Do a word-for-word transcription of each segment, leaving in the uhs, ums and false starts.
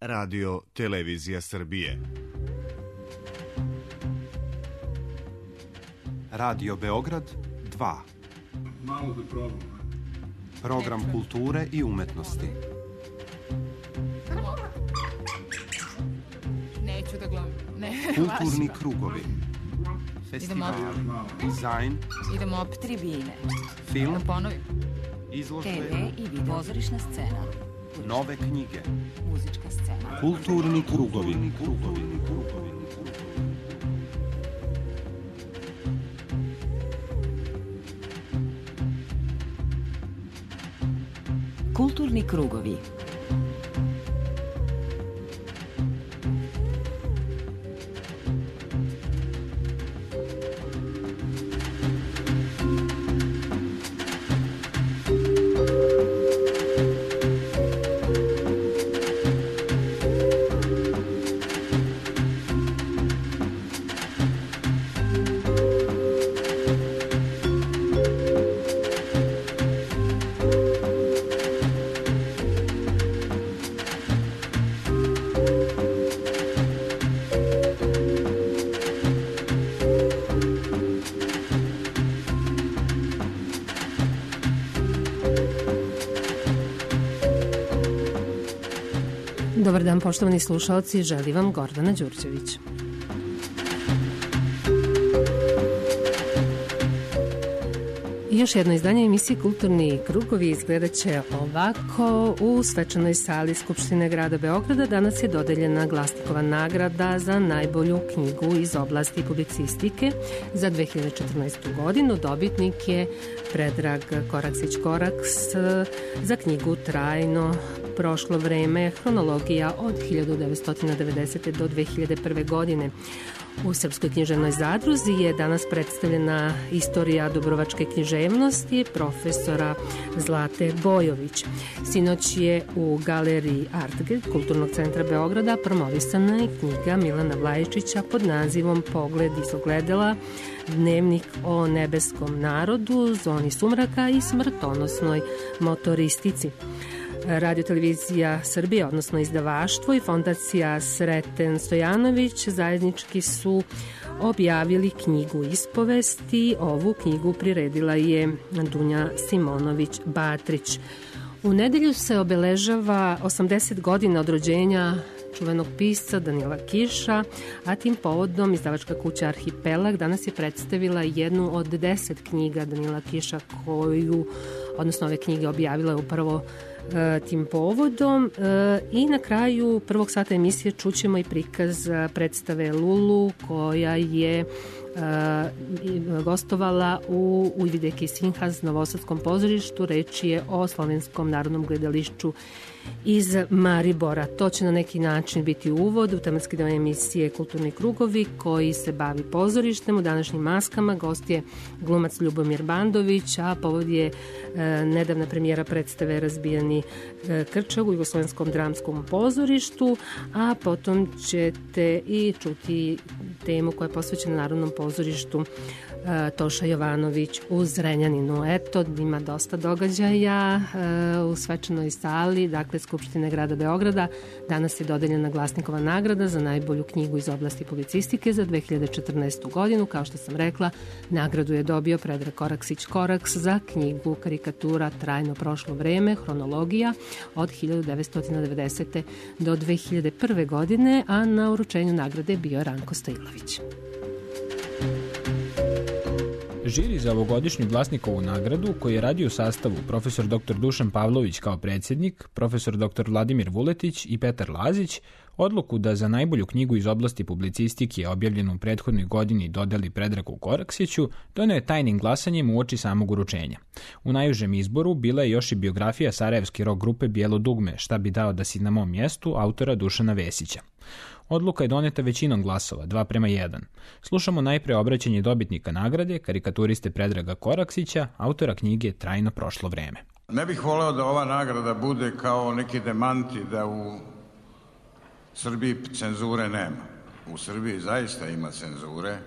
Radio Televizija Srbije. Radio Beograd dva. Malo da probam. Program kulture i umetnosti. Neću da gledam. Ne, Kulturni krugovi. Festival, dizajn. Idemo opet tribine. Film. Da ponovim. Izložbe. te ve i video. Pozorišna scena. Nove knjige. Muzička scena. Kulturni krugovi. Krugovi. Krugovi. Kulturni krugovi. Dobar dan, poštovani slušaoci, želi vam Gordana Đurđević. Još jedno izdanje emisije Kulturni krugovi izgledat će ovako. U svečanoj sali Skupštine grada Beograda danas je dodeljena Glasnikova nagrada za najbolju knjigu iz oblasti publicistike za dve hiljade četrnaestu godinu. Dobitnik je Predrag Koraksić-Koraks za knjigu Trajno prošlo vreme, hronologija od hiljadu devetsto devedesete. do dve hiljade prve. godine. U Srpskoj književnoj zadruzi je danas predstavljena istorija dubrovačke književnosti profesora Zlate Bojović. Sinoć je u galeriji Artgrid Kulturnog centra Beograda promovisana i knjiga Milana Vlajičića pod nazivom Pogled iz ogledala, dnevnik o nebeskom narodu, zoni sumraka i smrtonosnoj motoristici. Radio Televizija Srbije, odnosno izdavaštvo i fondacija Sreten Stojanović zajednički su objavili knjigu ispovesti. Ovu knjigu priredila je Dunja Simonović-Batrić. U nedelju se obeležava osamdeset godina od rođenja čuvenog pisca Danila Kiša, a tim povodom izdavačka kuća Arhipelag danas je predstavila jednu od deset knjiga Danila Kiša koju, odnosno ove knjige objavila je upravo tim povodom. I na kraju prvog sata emisije čućemo i prikaz predstave Lulu koja je gostovala u Ujvideke Sinhas Novosadskom pozorištu. Reč je o Slovenskom narodnom gledališću iz Maribora. To će na neki način biti uvod u tematski deo emisije Kulturni krugovi koji se bavi pozorištem. U današnjim maskama gost je glumac Ljubomir Bandović, a povod je e, nedavna premijera predstave Razbijani e, krčak u Jugoslovenskom dramskom pozorištu, a potom ćete i čuti temu koja je posvećena Narodnom pozorištu Toša Jovanović u Zrenjaninu. Eto, ima dosta događaja u svečanoj sali, dakle, Skupštine grada Beograda. Danas je dodeljena Glasnikova nagrada za najbolju knjigu iz oblasti publicistike za dve hiljade četrnaestu. godinu. Kao što sam rekla, nagradu je dobio Predrag Koraksić-Koraks za knjigu karikatura Trajno prošlo vreme, hronologija od hiljadu devetsto devedesete. do dve hiljade prve. godine, a na uručenju nagrade bio Ranko Stojilović. Žiri za ovogodišnju Glasnikovu nagradu, koji je radio u sastavu profesor doktor Dušan Pavlović kao predsjednik, profesor doktor Vladimir Vuletić i Petar Lazić, odluku da za najbolju knjigu iz oblasti publicistike objavljenu u prethodnoj godini dodeli Predragu Koraksiću, doneo je tajnim glasanjem uoči samog uručenja. U najužem izboru bila je još i biografija sarajevske rock grupe Bijelo dugme, Šta bi dao da si na mom mjestu, autora Dušana Vesića. Odluka je doneta većinom glasova, dva prema jedan. Slušamo najpre obraćanje dobitnika nagrade, karikaturiste Predraga Koraksića, autora knjige Trajno prošlo vreme. Ne bih voleo da ova nagrada bude kao neki demanti da u Srbiji cenzure nema. U Srbiji zaista ima cenzure,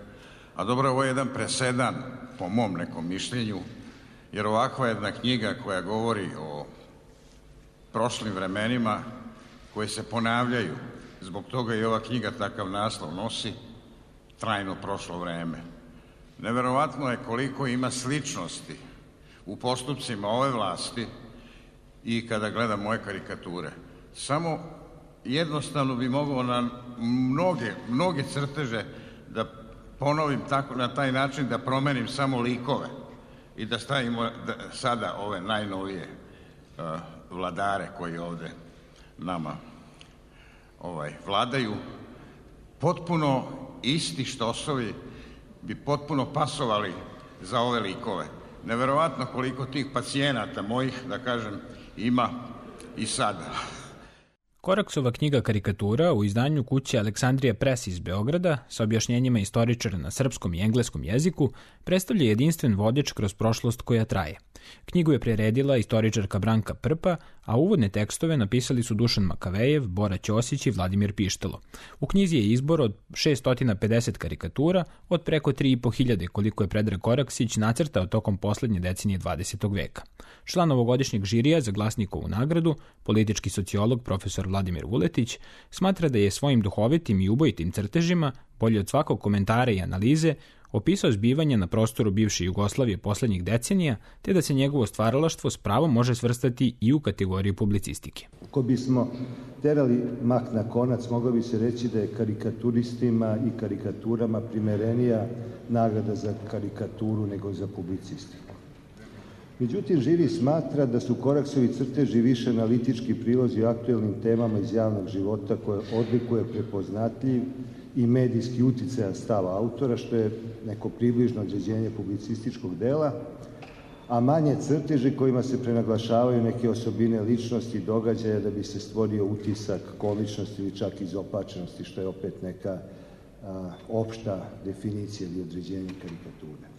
a dobro, ovo je jedan presedan, po mom nekom mišljenju, jer ovakva jedna knjiga koja govori o prošlim vremenima, koje se ponavljaju. Zbog toga i ova knjiga takav naslov nosi, Trajno prošlo vreme. Neverovatno je koliko ima sličnosti u postupcima ove vlasti i kada gledam moje karikature. Samo jednostavno bi mogao na mnoge, mnoge crteže da ponovim tako, na taj način da promenim samo likove i da stavimo da, sada ove najnovije uh, vladare koji ovde nama ovaj, vladaju. Potpuno isti štosovi bi potpuno pasovali za ove likove. Neverovatno koliko tih pacijenata mojih, da kažem, ima i sada. Koraksova knjiga karikatura u izdanju kuće Aleksandrija Press iz Beograda sa objašnjenjima istoričara na srpskom i engleskom jeziku predstavlja jedinstven vodič kroz prošlost koja traje. Knjigu je priredila istoričarka Branka Prpa, a uvodne tekstove napisali su Dušan Makavejev, Bora Ćosić i Vladimir Pištalo. U knjizi je izbor od šessto pedeset karikatura od preko tri i po hiljade koliko je Predrag Koraksić nacrtao tokom poslednje decenije dvadesetog veka. Član ovogodišnjeg žirija za Glasnikovu nagradu, politički sociolog profesor Vladimir Vuletić, smatra da je svojim duhovitim i ubojitim crtežima, bolje od svakog komentara i analize, opisao zbivanja na prostoru bivše Jugoslavije poslednjih decenija, te da se njegovo stvaralaštvo s pravom može svrstati i u kategoriju publicistike. Ako bismo terali mak na konac, moglo bi se reći da je karikaturistima i karikaturama primerenija nagrada za karikaturu nego za publicistiku. Međutim, žiri smatra da su Koraksovi crteži više analitički prilozi aktuelnim temama iz javnog života koje odlikuje prepoznatljiv i medijski uticajan stav autora, što je neko približno određenje publicističkog dela, a manje crteži kojima se prenaglašavaju neke osobine ličnosti i događaja da bi se stvorio utisak komičnosti ili čak izopačenosti, što je opet neka a, opšta definicija ili određenje karikature.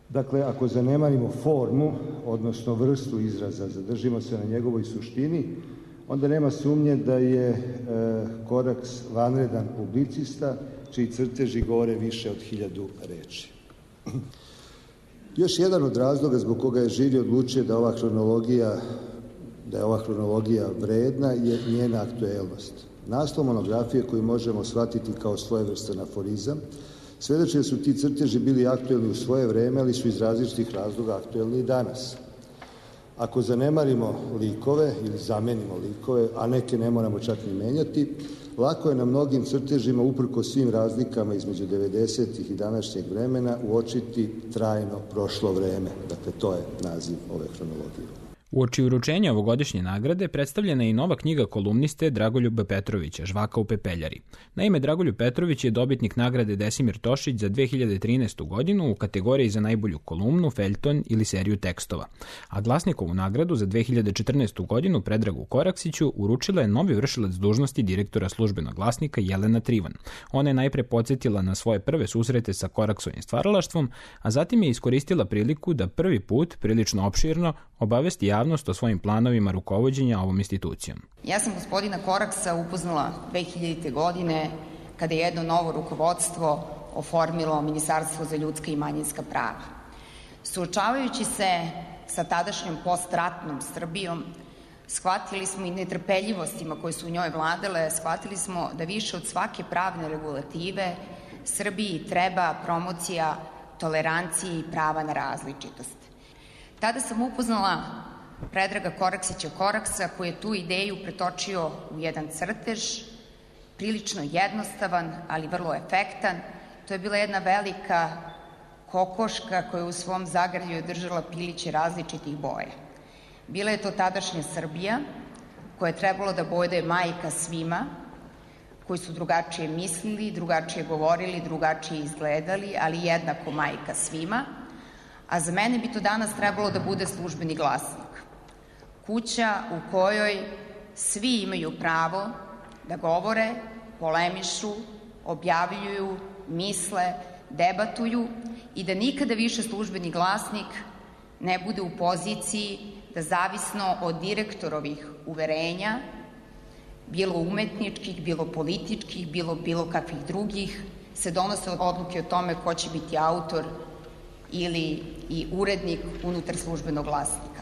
Dakle, ako zanemarimo formu, odnosno vrstu izraza, zadržimo se na njegovoj suštini, onda nema sumnje da je e, Koraks vanredan publicista, čiji crteži govore više od hiljadu reči. Još jedan od razloga zbog koga je žiri odlučio da ova hronologija, da je ova hronologija vredna je njena aktuelnost. Naslov monografije koju možemo shvatiti kao svojevrstan aforizam, svedoči da su ti crteži bili aktuelni u svoje vreme, ali su iz različitih razloga aktuelni i danas. Ako zanemarimo likove ili zamenimo likove, a neke ne moramo čak ni menjati, lako je na mnogim crtežima, uprko svim razlikama između devedesetih i današnjeg vremena, uočiti trajno prošlo vreme. Dakle, to je naziv ove hronologije. Uoči uručenja ovogodišnje nagrade predstavljena je i nova knjiga kolumniste Dragoljuba Petrovića, Žvaka u pepeljari. Naime, Dragoljub Petrović je dobitnik nagrade Desimir Tošić za dve hiljade trinaestu godinu u kategoriji za najbolju kolumnu, feljton ili seriju tekstova. A Glasnikovu nagradu za dve hiljade četrnaestu godinu Predragu Koraksiću uručila je novi vršilac dužnosti direktora službenog glasnika Jelena Trivan. Ona je najpre podsjetila na svoje prve susrete sa Koraksovim stvaralaštvom, a zatim je iskoristila priliku da prvi put, prilično opširno, obavesti javnost o svojim planovima rukovođenja ovom institucijom. Ja sam gospodina Koraksa upoznala dve hiljadite. godine kada je jedno novo rukovodstvo oformilo Ministarstvo za ljudska i manjinska prava. Suočavajući se sa tadašnjom postratnom Srbijom, shvatili smo i netrpeljivostima koje su u njoj vladale, shvatili smo da više od svake pravne regulative Srbiji treba promocija tolerancije i prava na različitost. Tada sam upoznala Predraga Koraksića Koraksa, koji je tu ideju pretočio u jedan crtež, prilično jednostavan, ali vrlo efektan. To je bila jedna velika kokoška koja u svom zagrljaju držala piliće različitih boja. Bila je to tadašnja Srbija, koja je trebalo da bude majka svima, koji su drugačije mislili, drugačije govorili, drugačije izgledali, ali jednako majka svima. A za mene bi to danas trebalo da bude Službeni glasnik. Kuća u kojoj svi imaju pravo da govore, polemišu, objavljuju, misle, debatuju i da nikada više Službeni glasnik ne bude u poziciji da zavisno od direktorovih uverenja, bilo umetničkih, bilo političkih, bilo bilo kakvih drugih, se donose odluke o tome ko će biti autor ili i urednik unutar Službenog glasnika.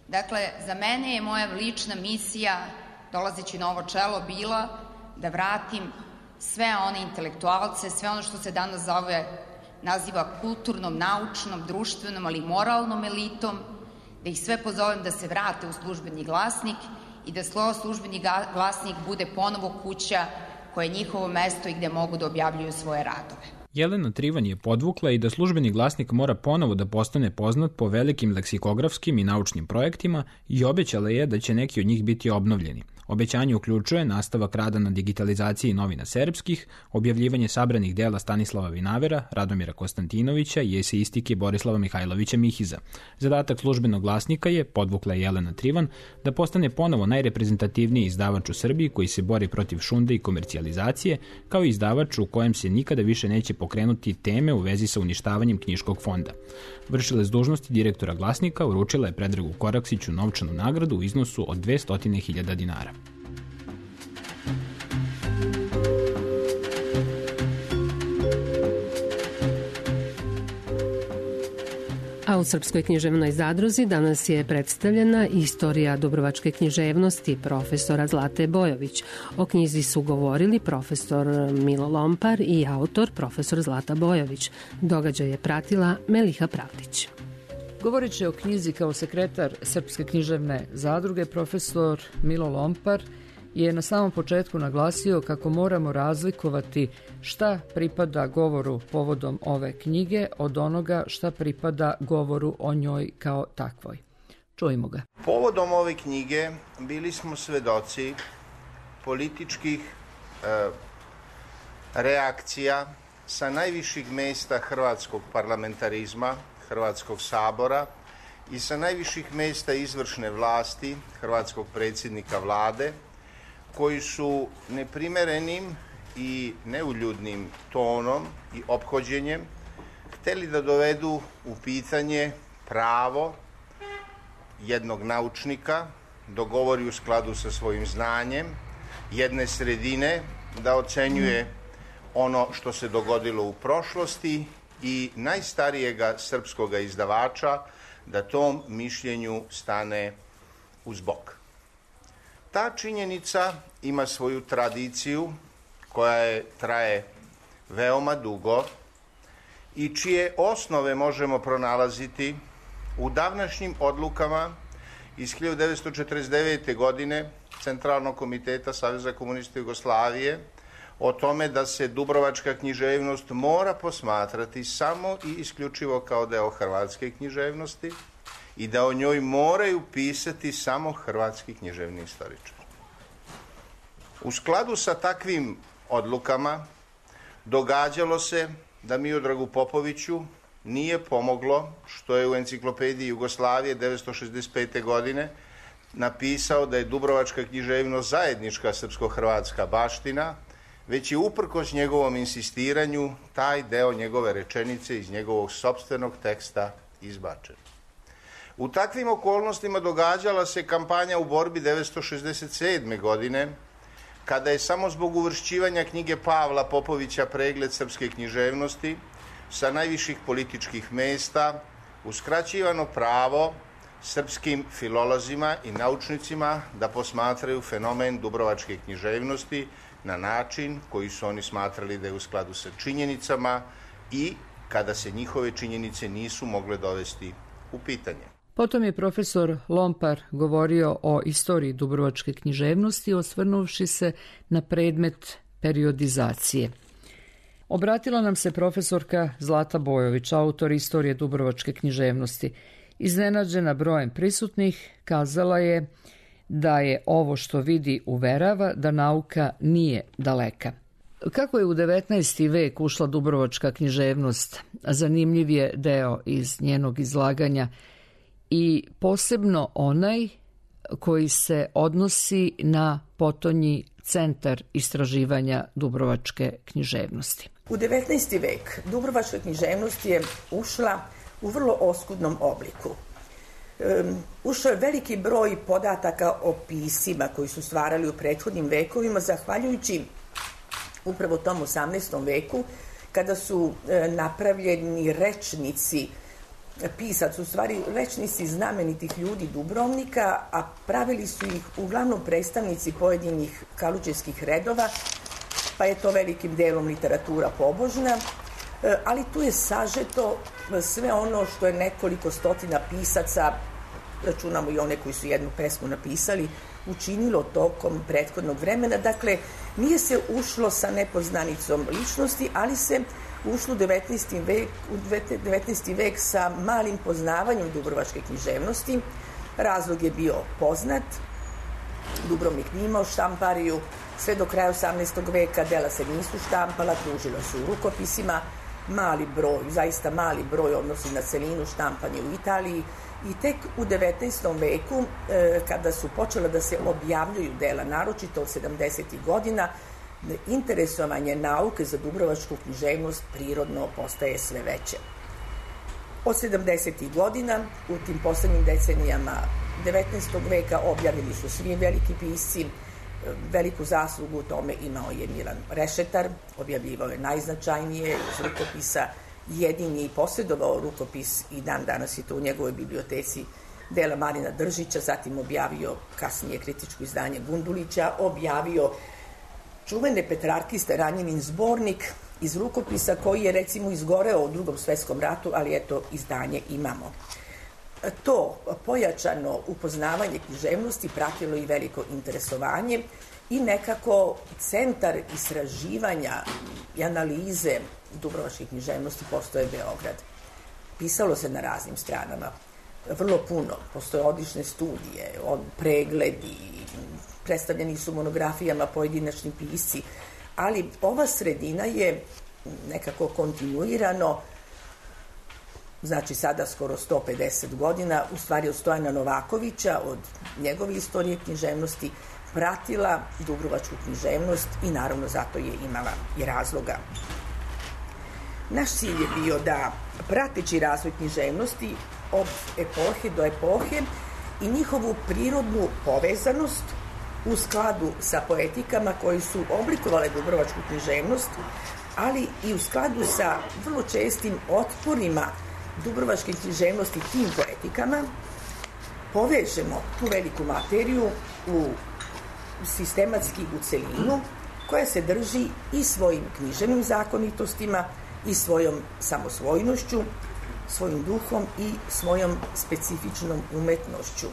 Dakle, za mene je moja lična misija dolazeći na ovo čelo, bila da vratim sve one intelektualce, sve ono što se danas zove, naziva kulturnom, naučnom, društvenom, ali i moralnom elitom, da ih sve pozovem da se vrate u Službeni glasnik i da slovo Službeni glasnik bude ponovo kuća koja je njihovo mesto i gde mogu da objavljuju svoje radove. Jelena Trivan je podvukla i da Službeni glasnik mora ponovo da postane poznat po velikim leksikografskim i naučnim projektima i obećala je da će neki od njih biti obnovljeni. Obećanje uključuje nastavak rada na digitalizaciji novina serbskih, objavljivanje sabranih dela Stanislava Vinavera, Radomira Konstantinovića i esejistike Borislava Mihajlovića Mihiza. Zadatak Službenog glasnika je, podvukla je Jelena Trivan, da postane ponovo najreprezentativniji izdavač u Srbiji koji se bori protiv šunde i komercijalizacije, kao i izdavač u kojem se nikada više neće pokrenuti teme u vezi sa uništavanjem knjiškog fonda. Vršilac dužnosti direktora glasnika uručila je Predragu Koraksiću novčanu nagradu u iznosu od dvesta hiljada dinara. A u Srpskoj književnoj zadruzi danas je predstavljena istorija dubrovačke književnosti profesora Zlate Bojović. O knjizi su govorili profesor Milo Lompar i autor profesor Zlata Bojović. Događaj je pratila Meliha Pravdić. Govoreći o knjizi kao sekretar Srpske književne zadruge, profesor Milo Lompar je na samom početku naglasio kako moramo razlikovati šta pripada govoru povodom ove knjige od onoga šta pripada govoru o njoj kao takvoj. Čujmo ga. Povodom ove knjige bili smo svedoci političkih e, reakcija sa najviših mesta hrvatskog parlamentarizma, Hrvatskog sabora i sa najviših mesta izvršne vlasti, hrvatskog predsjednika vlade, koji su neprimerenim i neuljudnim tonom i ophođenjem hteli da dovedu u pitanje pravo jednog naučnika da govori u skladu sa svojim znanjem, jedne sredine da ocenjuje ono što se dogodilo u prošlosti i najstarijega srpskoga izdavača da tom mišljenju stane uz bok. Ta činjenica ima svoju tradiciju koja je, traje veoma dugo i čije osnove možemo pronalaziti u davnašnjim odlukama iz hiljadu devetsto četrdeset devete. godine Centralnog komiteta Saveza komunista Jugoslavije o tome da se dubrovačka književnost mora posmatrati samo i isključivo kao deo hrvatske književnosti i da o njoj moraju pisati samo hrvatski književni istoričari. U skladu sa takvim odlukama događalo se da Miodragu Popoviću nije pomoglo što je u enciklopediji Jugoslavije devetsto šezdeset pete. godine napisao da je dubrovačka književnost zajednička srpsko-hrvatska baština, već je uprkos njegovom insistiranju taj deo njegove rečenice iz njegovog sopstvenog teksta izbačen. U takvim okolnostima događala se kampanja u borbi devetsto šezdeset sedme. godine, kada je samo zbog uvršćivanja knjige Pavla Popovića Pregled srpske književnosti sa najviših političkih mesta uskraćivano pravo srpskim filolozima i naučnicima da posmatraju fenomen dubrovačke književnosti na način koji su oni smatrali da je u skladu sa činjenicama i kada se njihove činjenice nisu mogle dovesti u pitanje. Potom je profesor Lompar govorio o istoriji dubrovačke književnosti, osvrnuvši se na predmet periodizacije. Obratila nam se profesorka Zlata Bojović, autor istorije dubrovačke književnosti. Iznenađena brojem prisutnih, kazala je da je ovo što vidi uverava da nauka nije daleka. Kako je u devetnaesti. vek ušla dubrovačka književnost, zanimljiv je deo iz njenog izlaganja i posebno onaj koji se odnosi na potonji centar istraživanja dubrovačke književnosti. U devetnaesti. vek dubrovačka književnost je ušla u vrlo oskudnom obliku. Um, ušao je veliki broj podataka o pisima koji su stvarali u prethodnim vekovima, zahvaljujući upravo tom osamnaestom. veku, kada su e, napravljeni rečnici pisac, u stvari rečnici znamenitih ljudi Dubrovnika, a pravili su ih uglavnom predstavnici pojedinih kaluđerskih redova, pa je to velikim delom literatura pobožna, ali tu je sažeto sve ono što je nekoliko stotina pisaca, računamo i one koji su jednu pesmu napisali, učinilo tokom prethodnog vremena. Dakle, nije se ušlo sa nepoznanicom ličnosti, ali se ušlo u devetnaesti vek, u devetnaesti vek sa malim poznavanjem dubrovačke književnosti. Razlog je bio poznat. Dubrovnik nije imao štampariju, sve do kraja osamnaestog veka dela se nisu štampala, kružila su u rukopisima, mali broj, zaista mali broj odnosi na celinu štampanje u Italiji i tek u devetnaestom veku, e, kada su počela da se objavljuju dela, naročito od sedamdesetih godina, interesovanje nauke za dubrovačku književnost prirodno postaje sve veće. Od sedamdesetih godina, u tim poslednjim decenijama devetnaestog veka, objavili su svi veliki pisci. Veliku zaslugu u tome imao je Milan Rešetar, objavljivao je najznačajnije iz rukopisa, jedini i posjedovao rukopis i dan danas je to u njegovoj biblioteci dela Marina Držića, zatim objavio kasnije kritičko izdanje Gundulića, objavio čuvene Petrarkiste Ranjevin zbornik iz rukopisa koji je recimo izgoreo u Drugom svetskom ratu, ali eto, izdanje imamo. To pojačano upoznavanje književnosti pratilo i veliko interesovanje i nekako centar istraživanja i analize dubrovačke književnosti postoje Beograd. Pisalo se na raznim stranama, vrlo puno, postoje odlične studije, pregledi, predstavljeni su monografijama pojedinačni pisci, ali ova sredina je nekako kontinuirano, znači sada skoro sto pedeset godina, u stvari od Stojana Novakovića, od njegove istorije književnosti, pratila dubrovačku književnost i naravno zato je imala i razloga. Naš cilj je bio da, prateći razvoj književnosti od epohe do epohe i njihovu prirodnu povezanost u skladu sa poetikama koji su oblikovale dubrovačku književnost, ali i u skladu sa vrlo čestim otporima dubrovačke književnosti tim poetikama, povežemo tu veliku materiju u sistematski u celinu, koja se drži i svojim književnim zakonitostima i svojom samosvojnošću, svojim duhom i svojom specifičnom umetnošću.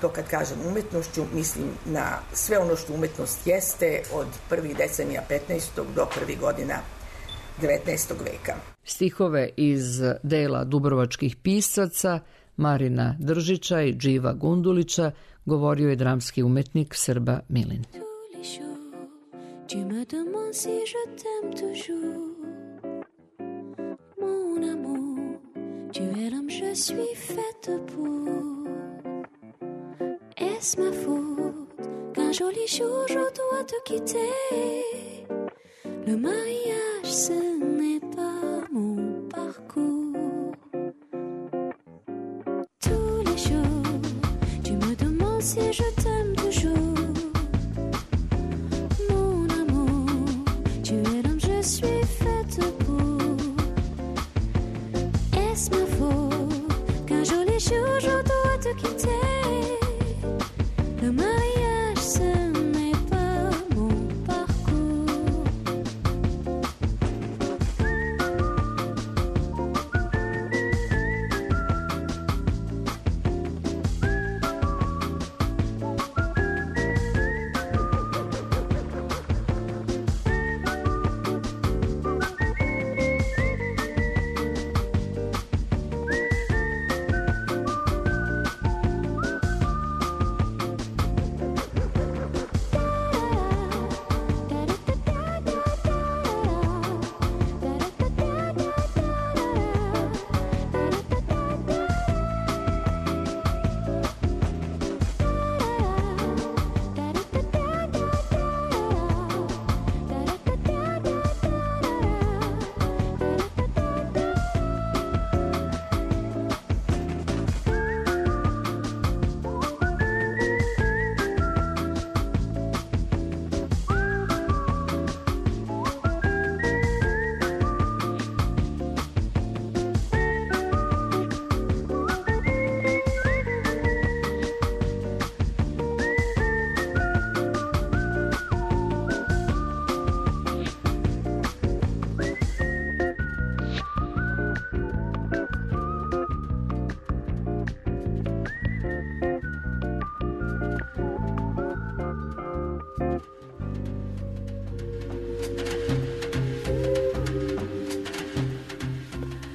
To kad kažem umetnošću, mislim na sve ono što umetnost jeste od prvih decenija petnaestog do prvih godina devetnaestog veka. Stihove iz dela dubrovačkih pisaca Marina Držića i Dživa Gundulića govorio je dramski umetnik Srba Milin. Tu me demandes si je t'aime toujours, mon amour, tu es l'homme je suis faite pour. Est-ce ma faute qu'un joli jour je dois te quitter? Le mariage ce n'est pas mon parcours. Tous les jours tu me demandes si je t'aime toujours. Mon amour, tu es l'homme je suis faite pour. Est-ce ma faute qu'un joli jour je dois te quitter? Le mariage ce n'est pas mon parcours.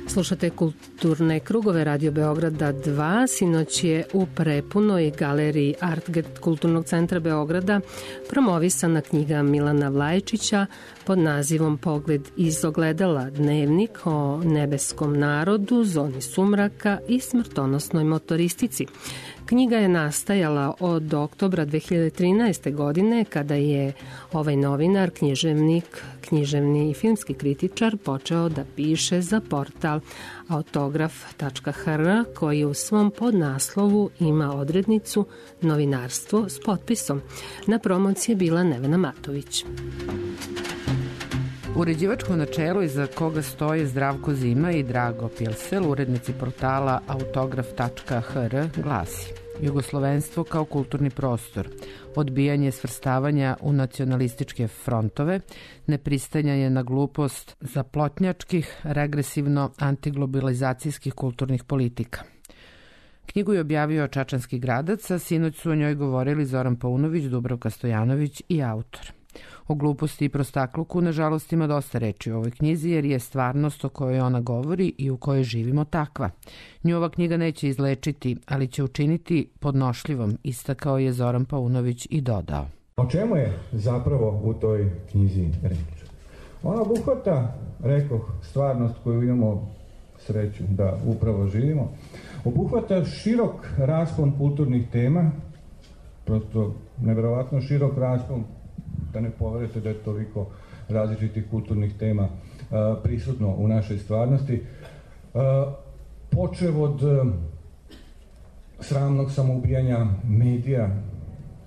Slušate Kulturne krugove Radio Beograda dva. Sinoć je u prepunoj galeriji Artget Kulturnog centra Beograda promovisana knjiga Milana Vlajčića pod nazivom Pogled iz ogledala, dnevnik o nebeskom narodu, zoni sumraka i smrtonosnoj motoristici. Knjiga je nastajala od oktobra dve hiljade trinaeste. godine kada je ovaj novinar, književnik, književni i filmski kritičar počeo da piše za portal autograf tačka ha er koji u svom podnaslovu ima odrednicu novinarstvo s potpisom. Na promociji je bila Nevena Matović. Uređivačko načelo iza koga stoje Zdravko Zima i Drago Pilsel, urednici portala autograf tačka ha er, glasi: Jugoslovenstvo kao kulturni prostor, odbijanje svrstavanja u nacionalističke frontove, nepristajanje na glupost zaplotnjačkih, regresivno antiglobalizacijskih kulturnih politika. Knjigu je objavio Čačanski gradac, a sinoć su o njoj govorili Zoran Paunović, Dubravka Stojanović i autor. O gluposti i prostakluku, nažalost, ima dosta reči u ovoj knjizi, jer je stvarnost o kojoj ona govori i u kojoj živimo takva. Nju ova knjiga neće izlečiti, ali će učiniti podnošljivom, istakao je Zoran Paunović i dodao. O čemu je zapravo u toj knjizi reč? Ona obuhvata, rekoh, stvarnost koju imamo sreću da upravo živimo, obuhvata širok raspon kulturnih tema, prosto nevjerovatno širok raspon, da ne poverujete da je toliko različitih kulturnih tema uh, prisutno u našoj stvarnosti. Uh, počev od uh, sramnog samoubijanja medija,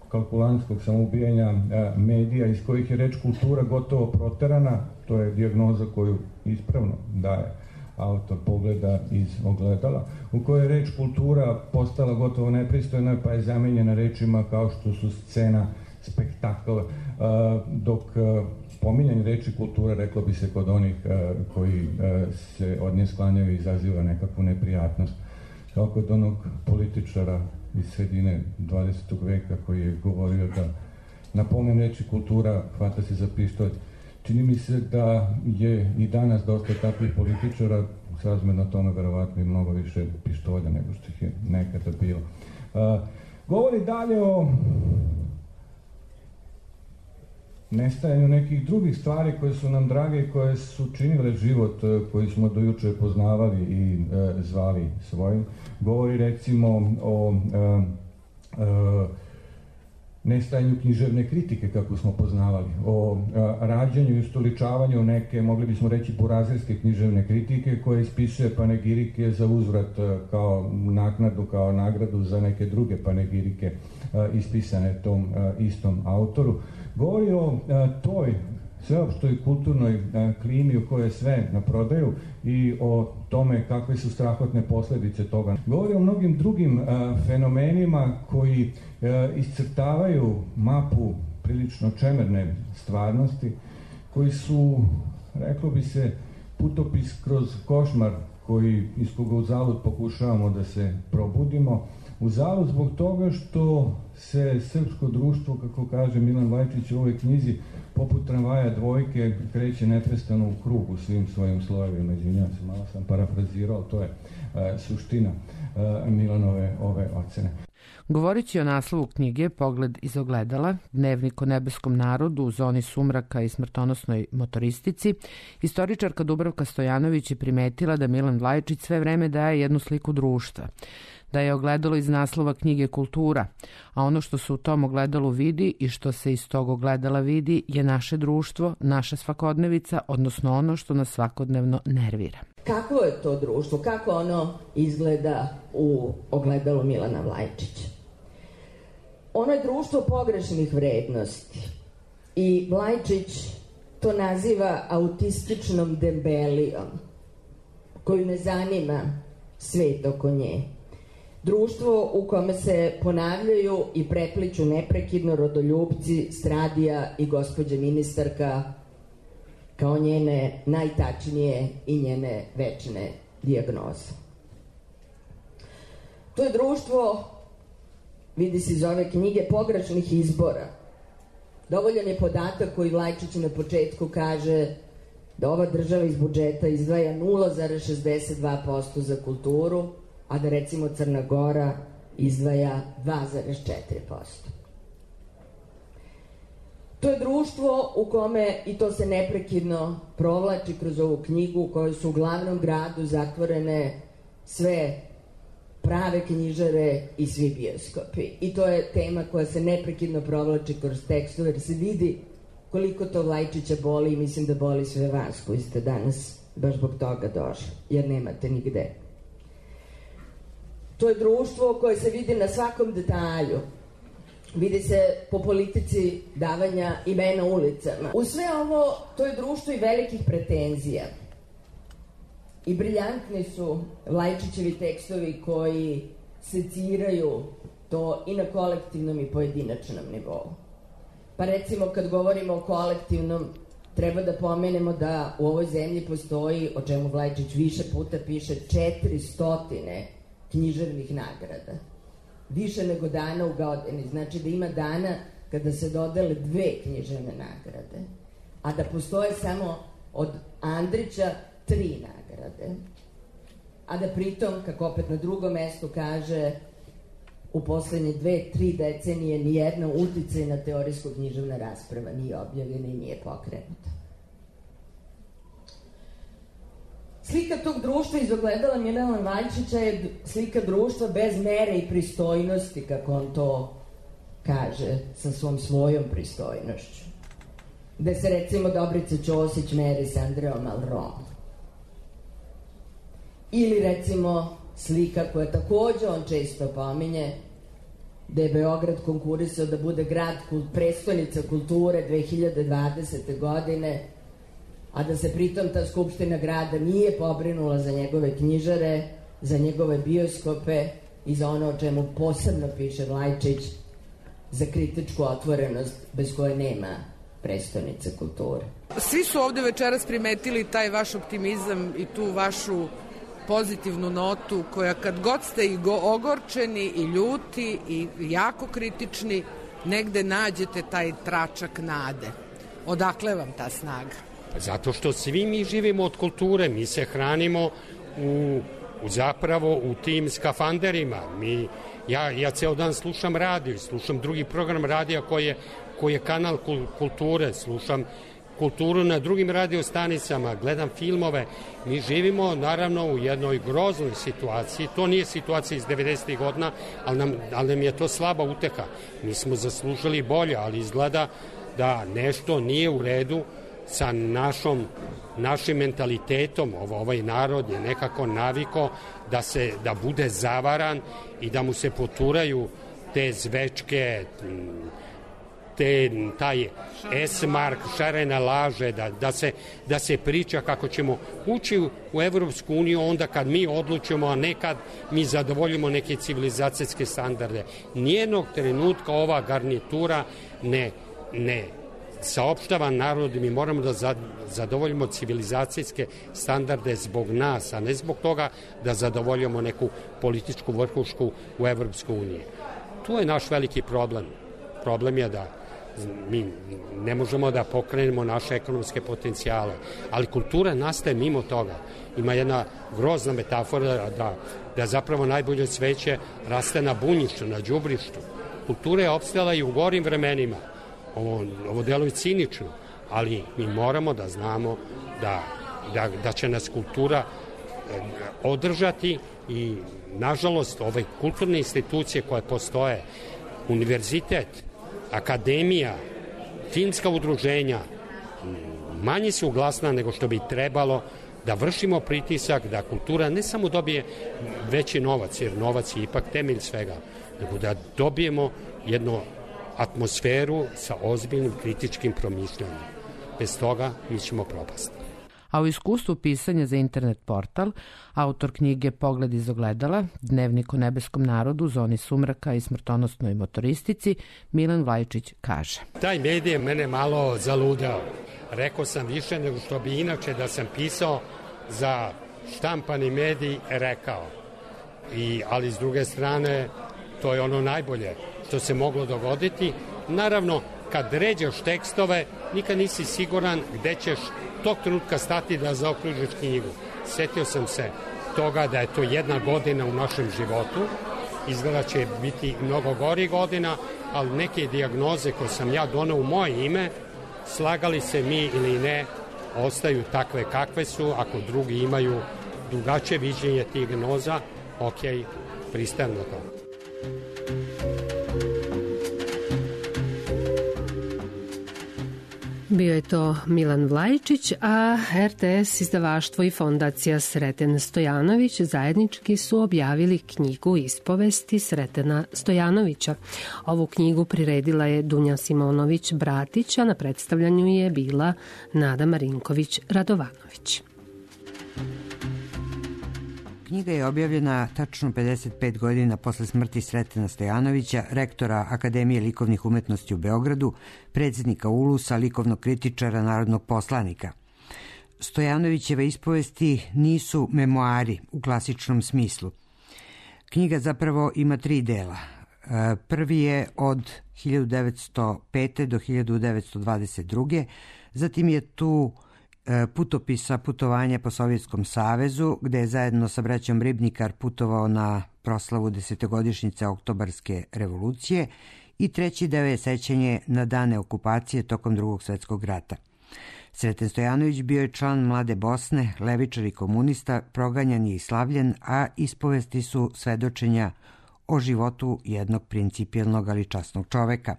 kalkulantskog samoubijanja uh, medija iz kojih je reč kultura gotovo proterana, to je dijagnoza koju ispravno daje autor Pogleda iz ogledala, u kojoj je reč kultura postala gotovo nepristojna pa je zamenjena rečima kao što su scena, spektakl, dok pominjanje reči kultura, reklo bi se kod onih koji se od nje sklanjaju, izaziva nekakvu neprijatnost. Kao kod onog političara iz sredine dvadesetog veka koji je govorio da na pomen reči kultura hvata se za pištolj. Čini mi se da je i danas dosta takvih političara, srazmjerno tome verovatno i mnogo više pištolja nego što ih je nekada bilo. Govori dalje o nestajanju nekih drugih stvari koje su nam drage i koje su činile život koji smo do juče poznavali i e, zvali svojim. Govori recimo o e, e, nestajanju književne kritike kako smo poznavali, o e, rađanju i ustoličavanju neke, mogli bismo reći, burazerske književne kritike koje ispisuje panegirike za uzvrat e, kao naknadu, kao nagradu za neke druge panegirike e, ispisane tom e, istom autoru. Govori o a, toj sveopštoj kulturnoj a, klimi u kojoj je sve na prodaju i o tome kakve su strahotne posljedice toga. Govori o mnogim drugim a, fenomenima koji a, iscrtavaju mapu prilično čemerne stvarnosti, koji su, reklo bi se, putopis kroz košmar koji, iz koga uzalud pokušavamo da se probudimo. Uzalud zbog toga što se srpsko društvo, kako kaže Milan Vlajčić u ovoj knjizi, poput tramvaja dvojke kreće neprestano u krug u svim svojim slojevima. Izvinjavam se, malo sam parafrazirao, to je e, suština e, Milanove ove ocene. Govoreći o naslovu knjige Pogled iz ogledala, dnevnik o nebeskom narodu u zoni sumraka i smrtonosnoj motoristici, istoričarka Dubravka Stojanović je primetila da Milan Vlajčić sve vreme daje jednu sliku društva, da je ogledalo iz naslova knjige kultura, a ono što se u tom ogledalu vidi i što se iz tog ogledala vidi je naše društvo, naša svakodnevica, odnosno ono što nas svakodnevno nervira. Kakvo je to društvo? Kako ono izgleda u ogledalu Milana Vlajčića? Ono je društvo pogrešnih vrednosti i Vlajčić to naziva autističnom dembelijom koju ne zanima svet oko nje. Društvo u kome se ponavljaju i prepliću neprekidno rodoljubci, Stradija i gospođa ministarka kao njene najtačnije i njene večne dijagnoze. To je društvo, vidi se iz ove knjige, pogrešnih izbora Dovoljan je podatak koji Vlajčić na početku kaže da ova država iz budžeta izdvaja nula zarez šezdeset dva posto za kulturu, a da recimo Crna Gora izdvaja dva zarez četiri posto. To je društvo u kome, i to se neprekidno provlači kroz ovu knjigu, u kojoj su u glavnom gradu zatvorene sve prave knjižare i svi bioskopi. I to je tema koja se neprekidno provlači kroz tekstove, jer se vidi koliko to Vlajčića boli i mislim da boli sve vas koji ste danas baš zbog toga došli, jer nemate nigde. To je društvo koje se vidi na svakom detalju. Vidi se po politici davanja imena ulicama. U sve ovo, to je društvo i velikih pretenzija. I briljantni su Vlajčićevi tekstovi koji seciraju to i na kolektivnom i pojedinačnom nivou. Pa recimo kad govorimo o kolektivnom, treba da pomenemo da u ovoj zemlji postoji, o čemu Vlajčić više puta piše, četiristo književnih nagrada. Više nego dana u godini. Znači da ima dana kada se dodele dve književne nagrade, a da postoje samo od Andrića tri nagrade. A da pritom, kako opet na drugom mestu kaže, u poslednje dve, tri decenije nijedna uticajna teorijsko-književna rasprava nije objavljena i nije pokrenuta. Slika tog društva iz ogledala Milana Vlajčića je slika društva bez mere i pristojnosti, kako on to kaže, sa svom svojom pristojnošću. Gde se recimo Dobrica Ćosić meri s Andreom Malrom. Ili recimo slika koja takođe on često pominje, da je Beograd konkurisao da bude grad prestolnica kulture dve hiljade dvadesete. godine, a da se pritom ta skupština grada nije pobrinula za njegove knjižare, za njegove bioskope i za ono o čemu posebno piše Vlajčić, za kritičku otvorenost bez koje nema prestolnice kulture. Svi su ovde večeras primetili taj vaš optimizam i tu vašu pozitivnu notu koja kad god ste i ogorčeni i ljuti i jako kritični, negde nađete taj tračak nade. Odakle vam ta snaga? Zato što svi mi živimo od kulture, mi se hranimo u, u zapravo u tim skafanderima. Mi, ja, ja ceo dan slušam radio, slušam drugi program radija koji je, koji je kanal kulture, slušam kulturu na drugim radiostanicama, gledam filmove. Mi živimo naravno u jednoj groznoj situaciji. To nije situacija iz devedesetih godina, ali nam, ali nam je to slaba uteha. Mi smo zaslužili bolje, ali izgleda da nešto nije u redu sa našom, našim mentalitetom. Ovo, ovaj narod je nekako naviko da, se, da bude zavaran i da mu se poturaju te zvečke, te, taj esmark, šarene laže, da, da, se, da se priča kako ćemo ući u, u Evropsku uniju onda kad mi odlučimo, a ne kad mi zadovoljimo neke civilizacijske standarde. Nijednog trenutka ova garnitura ne, ne saopštava narod, mi moramo da zadovoljimo civilizacijske standarde zbog nas, a ne zbog toga da zadovoljimo neku političku vrhušku u Evropskoj uniji. Tu je naš veliki problem. Problem je da mi ne možemo da pokrenemo naše ekonomske potencijale, ali kultura nastaje mimo toga. Ima jedna grozna metafora da, da zapravo najbolje cveće raste na bunjištu, na đubrištu. Kultura je opstala i u gorim vremenima. Ovo, ovo deluje cinično, ali mi moramo da znamo da, da, da će nas kultura održati i, nažalost, ove kulturne institucije koje postoje, univerzitet, akademija, filmska udruženja, manje su glasna nego što bi trebalo, da vršimo pritisak, da kultura ne samo dobije veći novac, jer novac je ipak temelj svega, nego da dobijemo jednu atmosferu sa ozbiljnim kritičkim promišljanjem. Bez toga mi ćemo propasti. A u iskustvu pisanja za internet portal, autor knjige Pogled iz ogledala, Dnevnik o nebeskom narodu, zoni sumraka i smrtonosnoj motoristici, Milan Vlajčić kaže: Taj medij je mene malo zaludeo. Rekao sam više nego što bi inače da sam pisao za štampani medij rekao. I, ali s druge strane, to je ono najbolje što se moglo dogoditi. Naravno, kad ređaš tekstove, nikad nisi siguran gde ćeš tog trenutka stati da zaokružiš knjigu. Setio sam se toga da je to jedna godina u našem životu, izgleda će biti mnogo gori godina, ali neke dijagnoze koje sam ja doneo u moje ime, slagali se mi ili ne, ostaju takve kakve su. Ako drugi imaju drugačije viđenje tih dijagnoza, ok, pristajem na to. Bio je to Milan Vlajičić, a er te es izdavaštvo i fondacija Sreten Stojanović zajednički su objavili knjigu ispovesti Sretena Stojanovića. Ovu knjigu priredila je Dunja Simonović-Bratić, a na predstavljanju je bila Nada Marinković-Radovanović. Knjiga je objavljena tačno pedeset pet godina posle smrti Sretena Stojanovića, rektora Akademije likovnih umetnosti u Beogradu, predsjednika U L U S-a, likovnog kritičara, narodnog poslanika. Stojanovićeve ispovesti nisu memoari u klasičnom smislu. Knjiga zapravo ima tri dela. Prvi je od hiljadu devetsto pete. do hiljadu devetsto dvadeset druge. Zatim je tu putopisa putovanja po Sovjetskom savezu, gde je zajedno sa braćom Ribnikar putovao na proslavu desetogodišnjice Oktobarske revolucije, i treći deo je sećanje na dane okupacije tokom Drugog svetskog rata. Sreten Stojanović bio je član Mlade Bosne, levičar i komunista, proganjan je i slavljen, a ispovesti su svedočenja o životu jednog principijelnog, ali časnog čoveka.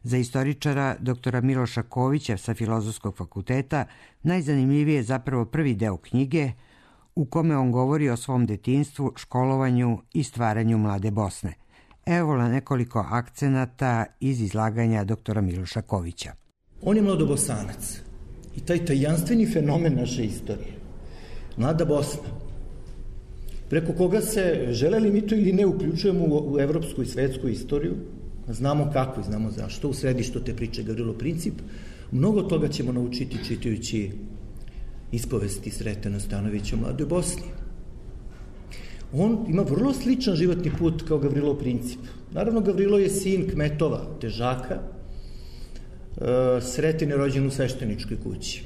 Za istoričara doktora Miloša Kovića sa Filozofskog fakulteta najzanimljivije je zapravo prvi deo knjige, u kome on govori o svom detinjstvu, školovanju i stvaranju Mlade Bosne. Evo nekoliko akcenata iz izlaganja doktora Miloša Kovića. On je mladobosanac i taj tajanstveni fenomen naše istorije. Mlada Bosna, preko koga se, želeli mi to ili ne, uključujemo u evropsku i svetsku istoriju, znamo kako i znamo zašto, u središtu te priče Gavrilo Princip. Mnogo toga ćemo naučiti čitajući ispovesti Sretena Stojanovića o Mladoj Bosni. On ima vrlo sličan životni put kao Gavrilo Princip. Naravno, Gavrilo je sin kmetova, težaka, Sreten je rođen u svešteničkoj kući.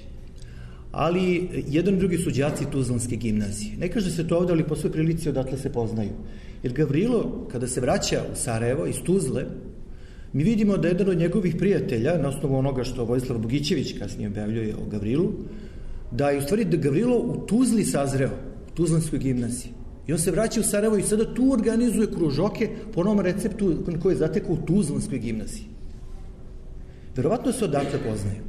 Ali jedan i drugi su đaci Tuzlanske gimnazije. Ne kaže se to ovde, ali po svoj prilici odatle se poznaju. Jer Gavrilo, kada se vraća u Sarajevo iz Tuzle, mi vidimo da jedan od njegovih prijatelja, na osnovu onoga što Vojislav Bogićević kasnije objavljuje o Gavrilu, da je u stvari da Gavrilo u Tuzli sazreo, u Tuzlanskoj gimnaziji. I on se vraća u Sarajevo i sada tu organizuje kružoke po onom receptu koji je zatekao u Tuzlanskoj gimnaziji. Verovatno se odatle poznaju.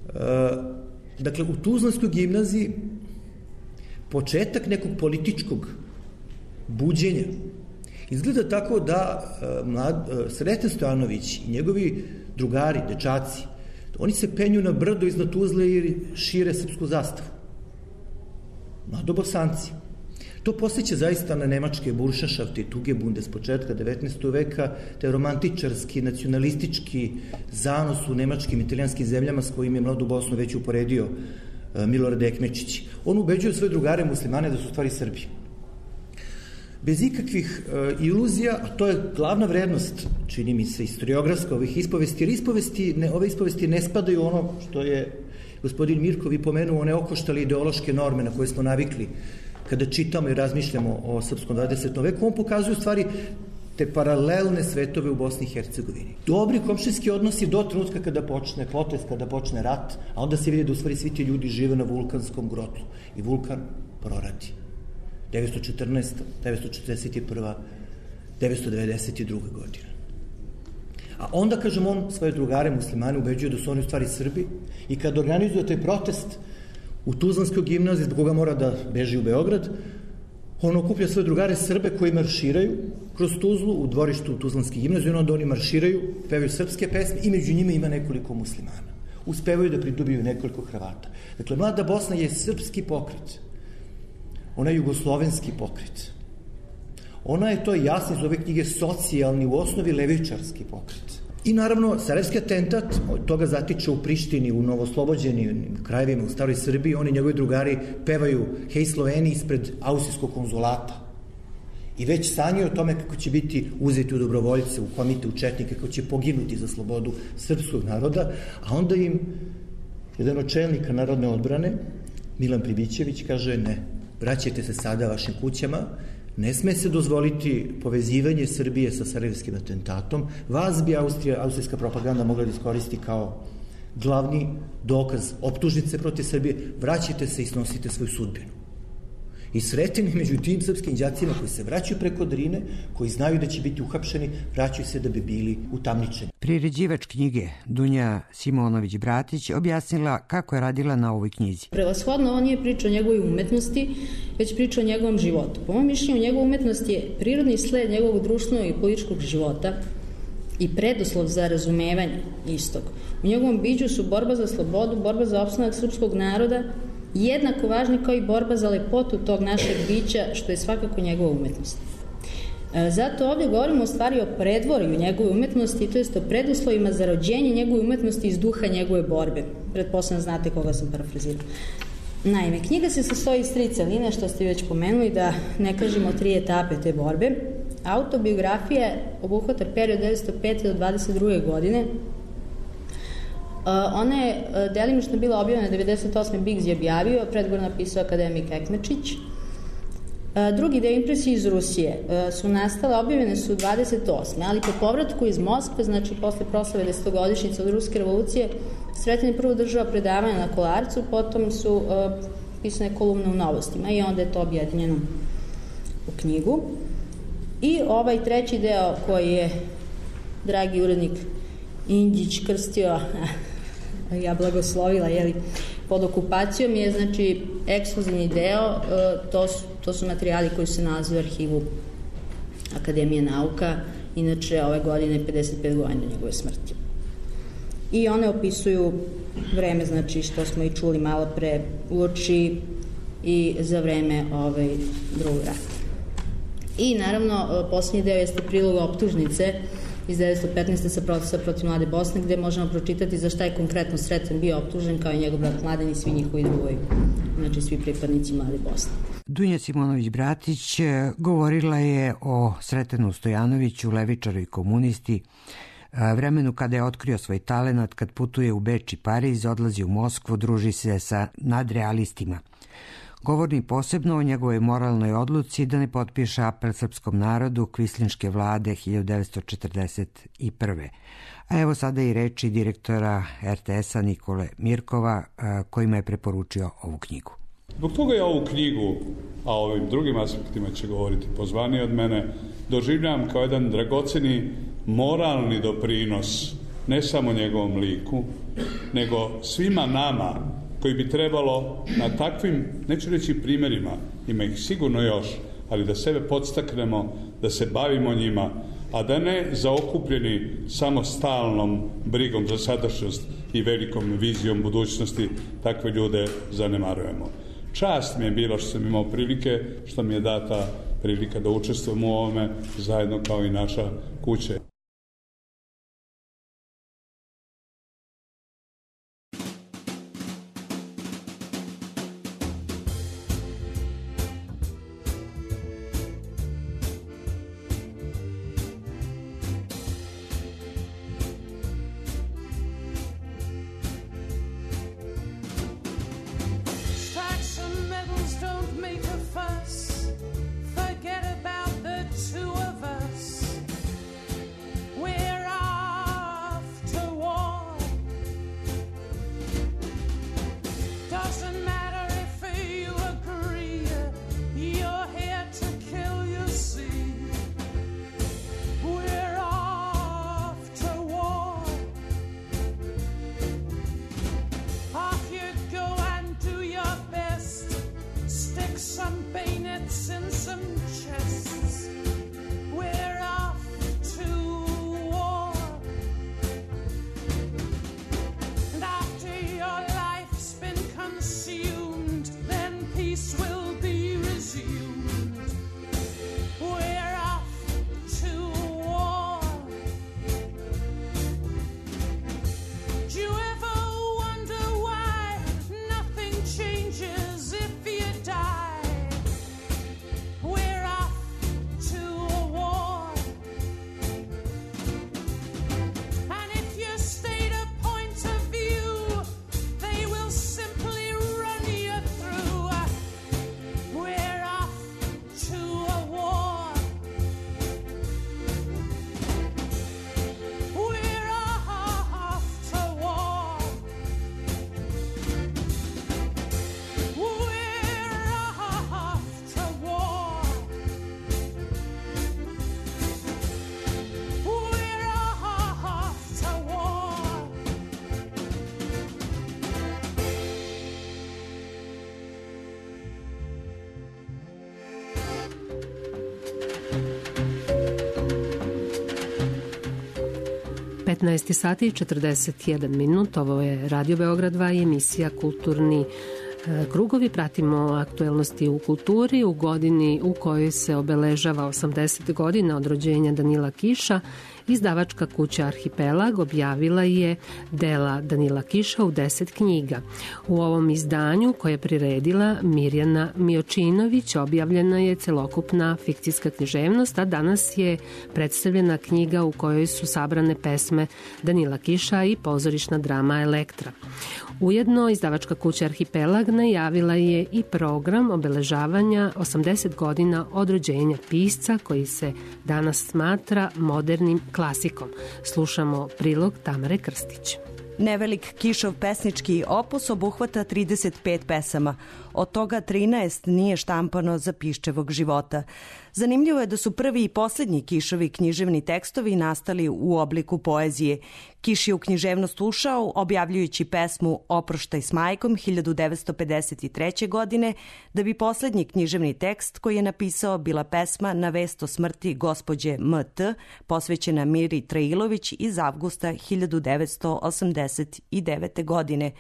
E, Dakle, u Tuzlanskoj gimnaziji početak nekog političkog buđenja izgleda tako da mlad, Sreten Stojanović i njegovi drugari, dečaci, oni se penju na brdo iznad Tuzle i šire srpsku zastavu. Mladobosanci. To posjeća zaista na nemačke Burschenschaft i Tugebunde s početka devetnaestog veka, te romantičarski, nacionalistički zanos u nemačkim i italijanskim zemljama s kojim je Mladu Bosnu već uporedio Milorad Ekmečić. On ubeđuje svoje drugare muslimane da su stvari Srbi. Bez ikakvih uh, iluzija, a to je glavna vrednost, čini mi se, historiografska ovih ispovesti, jer ispovesti, ne, ove ispovesti ne spadaju ono što je gospodin Mirkov i pomenuo, one okoštale ideološke norme na koje smo navikli kada čitamo i razmišljamo o srpskom dvadesetom veku. On pokazuje u stvari te paralelne svetove u Bosni i Hercegovini. Dobri komšijski odnosi do trenutka kada počne potres, kada počne rat, a onda se vidi da u stvari svi ti ljudi žive na vulkanskom grotlu i vulkan proradi. devetsto četrnaesta, devetsto četrdeset prva, devetsto devedeset druga godina. A onda, kažem, on svoje drugare muslimane ubeđuje da su oni u stvari Srbi i kad organizuje taj protest u Tuzlanskoj gimnaziji, zbog koga mora da beži u Beograd, on okuplja svoje drugare Srbe koji marširaju kroz Tuzlu u dvorištu Tuzlanske gimnazije, i onda oni marširaju, pevaju srpske pesme i među njima ima nekoliko muslimana. Uspevaju da pridobiju nekoliko Hrvata. Dakle, Mlada Bosna je srpski pokret. Ona je jugoslovenski pokret. Ona je, to jasno iz ove knjige, socijalni, u osnovi levičarski pokret. I naravno, sarajevski atentat, od toga zatiče u Prištini, u novoslobođenim krajevima, u staroj Srbiji, oni njegovi drugari pevaju Hej Sloveni ispred austrijskog konzulata. I već sanjaju o tome kako će biti uzeti u dobrovoljce, u komite, u četnike, kako će poginuti za slobodu srpskog naroda, a onda im jedan od čelnika narodne odbrane, Milan Pribićević, kaže ne, vraćajte se sada vašim kućama, ne sme se dozvoliti povezivanje Srbije sa sarajevskim atentatom, vas bi Austrija, austrijska propaganda mogla da iskoristi kao glavni dokaz optužnice protiv Srbije, vraćajte se i snosite svoju sudbinu. I sreteni među tim srpskim đacima koji se vraćaju preko Drine, koji znaju da će biti uhapšeni, vraćaju se da bi bili utamničeni. Priređivač knjige Dunja Simonović-Bratić objasnila kako je radila na ovoj knjizi. Prevashodno ovo nije priča o njegovoj umetnosti, već priča o njegovom životu. Po mojom mišljenju, njegova umetnost je prirodni sled njegovog društvenog i političkog života i preduslov za razumevanje istog. U njegovom biđu su borba za slobodu, borba za opstanak srpskog naroda, jednako važni kao i borba za lepotu tog našeg bića, što je svakako njegova umetnost. Zato ovdje govorimo u stvari o predvorju njegove umetnosti, to jest o preduslovima za rođenje njegove umetnosti iz duha njegove borbe. Pretpostavljam znate koga sam parafrazirao. Naime, knjiga se sastoji iz tri celine, što ste već pomenuli, da ne kažemo tri etape te borbe. Autobiografija obuhvata period devetsto pete do dvadeset druge godine. Ona je delimično bila objavljena devedeset osme. Biggs je objavio, predgovor napisao akademik Ekmečić. Drugi deo impresije iz Rusije su nastale, objavljene su dvadeset osme. ali po povratku iz Moskve, znači posle proslave desetogodišnjice od Ruske revolucije, Sretan je prvo držao predavanja na Kolarcu, potom su pisane kolumne u Novostima i onda je to objedinjeno u knjigu. I ovaj treći deo koji je dragi urednik Indjić krstio, ja blagoslovila, jeli, pod okupacijom, je znači ekskluzivni deo, to su, to su materijali koji se nalaze u arhivu Akademije nauka, inače ove godine pedeset pet godina njegove smrti. I one opisuju vreme, znači što smo i čuli malo pre, uoči i za vreme ovaj, drugog rata. I naravno, posljednji deo jeste prilog optužnice iz devetsto petnaeste. sa procesa protiv Mlade Bosne, gde možemo pročitati za šta je konkretno Sretan bio optužen, kao i njegov brat Mladen i svi njihovi drugovi, znači svi pripadnici Mlade Bosne. Dunja Simonović-Bratić govorila je o Sretanu Stojanoviću, levičaru i komunisti, vremenu kada je otkrio svoj talenat, kad putuje u Beč i Pariz, odlazi u Moskvu, druži se sa nadrealistima. Govorni posebno o njegovoj moralnoj odluci da ne potpiše apel srpskom narodu kvislinške vlade hiljadu devetsto četrdeset prve. A evo sada i reči direktora er te esa Nikole Mirkova, kojima je preporučio ovu knjigu. Zbog toga ja ovu knjigu, a o ovim drugim aspektima će govoriti pozvani od mene, doživljavam kao jedan dragoceni moralni doprinos ne samo njegovom liku, nego svima nama koji bi trebalo na takvim, neću reći primjerima, ima ih sigurno još, ali da sebe podstaknemo, da se bavimo njima, a da ne zaokupljeni samo stalnom brigom za sadašnjost i velikom vizijom budućnosti takve ljude zanemarujemo. Čast mi je bilo što sam imao prilike, što mi je data prilika da učestvujem u ovome zajedno kao i naša kuća. petnaest sati i četrdeset jedan minut. Ovo je Radio Beograd dva i emisija Kulturni krugovi. Pratimo aktuelnosti u kulturi u godini u kojoj se obeležava osamdeset godina od rođenja Danila Kiša. Izdavačka kuća Arhipelag objavila je dela Danila Kiša u deset knjiga. U ovom izdanju, koje je priredila Mirjana Miočinović, objavljena je celokupna fikcijska književnost, a danas je predstavljena knjiga u kojoj su sabrane pesme Danila Kiša i pozorišna drama Elektra. Ujedno, izdavačka kuća Arhipelag najavila je i program obeležavanja osamdeset godina od rođenja pisca koji se danas smatra modernim klasikom. Slušamo prilog Tamare Krstić. Nevelik Kišov pesnički opus obuhvata trideset pet pesama. Od toga trinaest nije štampano za Piščevog života. Zanimljivo je da su prvi i poslednji Kišovi književni tekstovi nastali u obliku poezije. Kiš je u književnost ušao objavljujući pesmu Oproštaj s majkom hiljadu devetsto pedeset treće. godine, da bi poslednji književni tekst koji je napisao bila pesma Na vest o smrti gospođe M T, posvećena Miri Trailović iz avgusta hiljadu devetsto osamdeset devete. godine.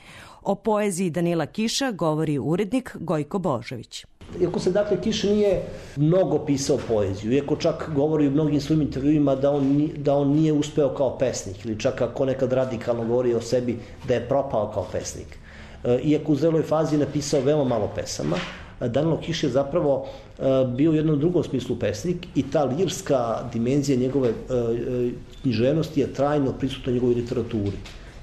O poeziji Danila Kiša govori urednik Gojko Božović. Iako se dakle Kiš nije mnogo pisao poeziju, iako čak govori u mnogim svojim intervjuima da on, da on nije uspeo kao pesnik ili čak ako nekad radikalno govori o sebi da je propao kao pesnik. Iako u zreloj fazi napisao veoma malo pesama, Danilo Kiš je zapravo bio u jednom drugom smislu pesnik i ta lirska dimenzija njegove književnosti je trajno prisutna u njegovoj literaturi.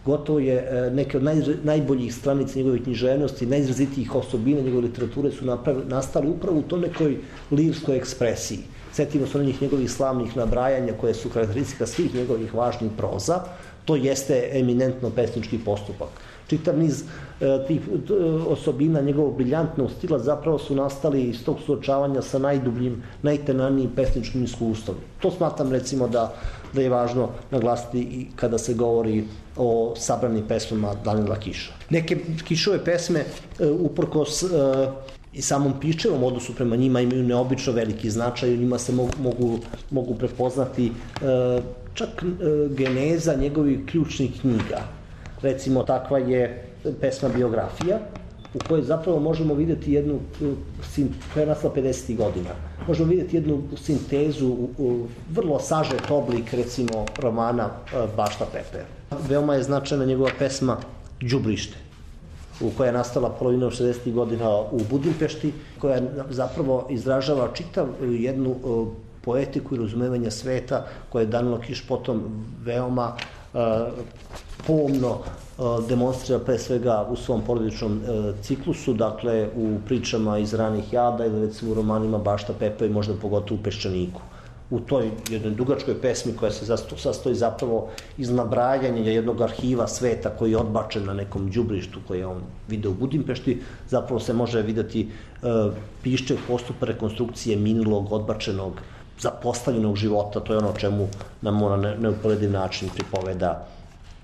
Gotovo je neke od naj, najboljih stranica njegove književnosti, najizrazitijih osobina njegove literature su napravili, nastali upravo u tom nekoj lirskoj ekspresiji. Sjetimo se onih njegovih slavnih nabrajanja koje su karakteristika svih njegovih važnih proza, to jeste eminentno pesnički postupak. Čitav niz e, tih e, osobina njegovog briljantnog stila zapravo su nastali iz tog suočavanja sa najdubljim, najtenanijim pesničkim iskustvom. To smatram recimo da, da je važno naglasiti i kada se govori o sabranim pesmama Danila Kiša. Neke Kišove pesme e, uprkos e, i samom Piščevom odnosu prema njima imaju neobično veliki značaj, u njima se mogu, mogu, mogu prepoznati e, čak e, geneza njegovih ključnih knjiga. Recimo, takva je pesma Biografija, u kojoj zapravo možemo vidjeti jednu, koja je nastala pedesetih godina, možemo vidjeti jednu sintezu, vrlo sažet oblik, recimo, romana Bašta Pepe. Veoma je značajna njegova pesma Đubrište, u koja je nastala polovinom šezdesetih godina u Budimpešti, koja zapravo izražava čitav jednu poetiku i razumevanja sveta, koje je Danilo Kiš potom veoma pomno demonstrira pre svega u svom porodičnom ciklusu, dakle u pričama iz ranih jada ili recimo u romanima Bašta Pepe i možda pogotovo u Peščaniku. U toj jednoj dugačkoj pesmi koja se sastoji zapravo iz nabrajanja jednog arhiva sveta koji je odbačen na nekom đubrištu koje on video u Budimpešti, zapravo se može videti Piščev postupak rekonstrukcije minulog, odbačenog, zapostavljenog života. To je ono o čemu nam on na neuporediv način pripoveda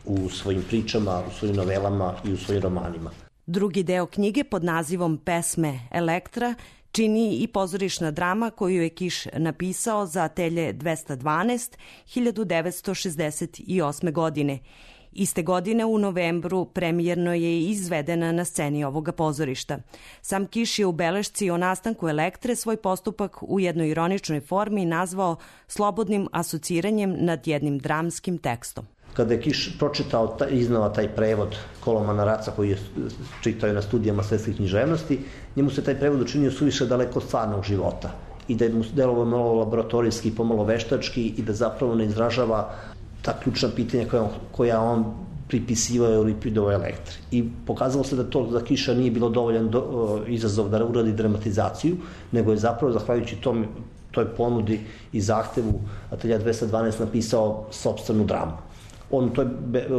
u svojim pričama, u svojim novelama i u svojim romanima. Drugi deo knjige pod nazivom Pesme Elektra čini i pozorišna drama koju je Kiš napisao za Atelje dvesta dvanaest hiljadu devetsto šezdeset osme. godine. Iste godine u novembru premijerno je izvedena na sceni ovoga pozorišta. Sam Kiš je u belešci o nastanku Elektre svoj postupak u jednoj ironičnoj formi nazvao slobodnim asociranjem nad jednim dramskim tekstom. Kada je Kiš pročitao ta, iznova taj prevod Kolomana Raca koji je čitao na studijama svetskih književnosti, njemu se taj prevod učinio suviše daleko od stvarnog života i da je mu delovao malo laboratorijski, pomalo veštački i da zapravo ne izražava ta ključna pitanja koja on, koja on pripisivao Euripidovoj Elektri. I pokazalo se da to za Kiša nije bilo dovoljan do, o, izazov da uradi dramatizaciju, nego je zapravo, zahvaljujući tom, toj ponudi i zahtevu Atelja dvesta dvanaest napisao sopstvenu dramu. On u toj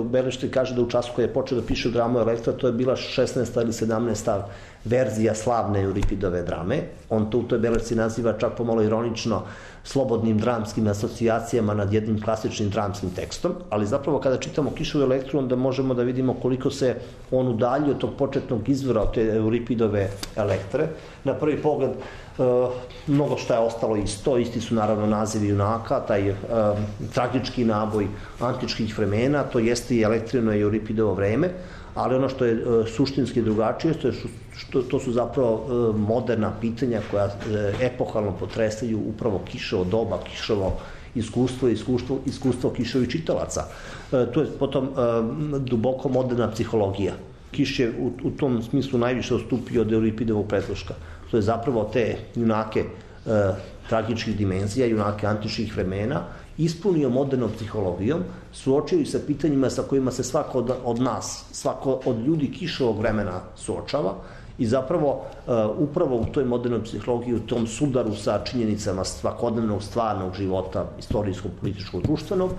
belešti kaže da u času kada je počeo da piše dramu Elektra, to je bila šesnaesta ili sedamnaesta verzija slavne Euripidove drame. On to u toj belešci naziva čak pomalo ironično slobodnim dramskim asocijacijama nad jednim klasičnim dramskim tekstom, ali zapravo kada čitamo Kišovu Elektru, onda možemo da vidimo koliko se on udaljio od tog početnog izvora od te Euripidove Elektre. Na prvi pogled mnogo što je ostalo isto, isti su naravno nazivi junaka, taj e, tragički naboj antičkih vremena, to jeste i Elektrino i Euripidovo vreme, ali ono što je e, suštinski drugačije, što je, što, to su zapravo e, moderna pitanja koja e, epohalno potresaju upravo Kiševo doba, Kiševo iskustvo, iskustvo, iskustvo Kiševih čitalaca. E, to je potom e, duboko moderna psihologija. Kiš je u, u tom smislu najviše odstupio od Euripidovog pretloška. To je zapravo te junake e, tragičkih dimenzija, junake antičkih vremena, ispunio modernom psihologijom, suočio ih sa pitanjima sa kojima se svako od, od nas, svako od ljudi Kiševog vremena suočava i zapravo uh, upravo u toj modernoj psihologiji, u tom sudaru sa činjenicama svakodnevnog stvarnog života, istorijskog, političkog, društvenog,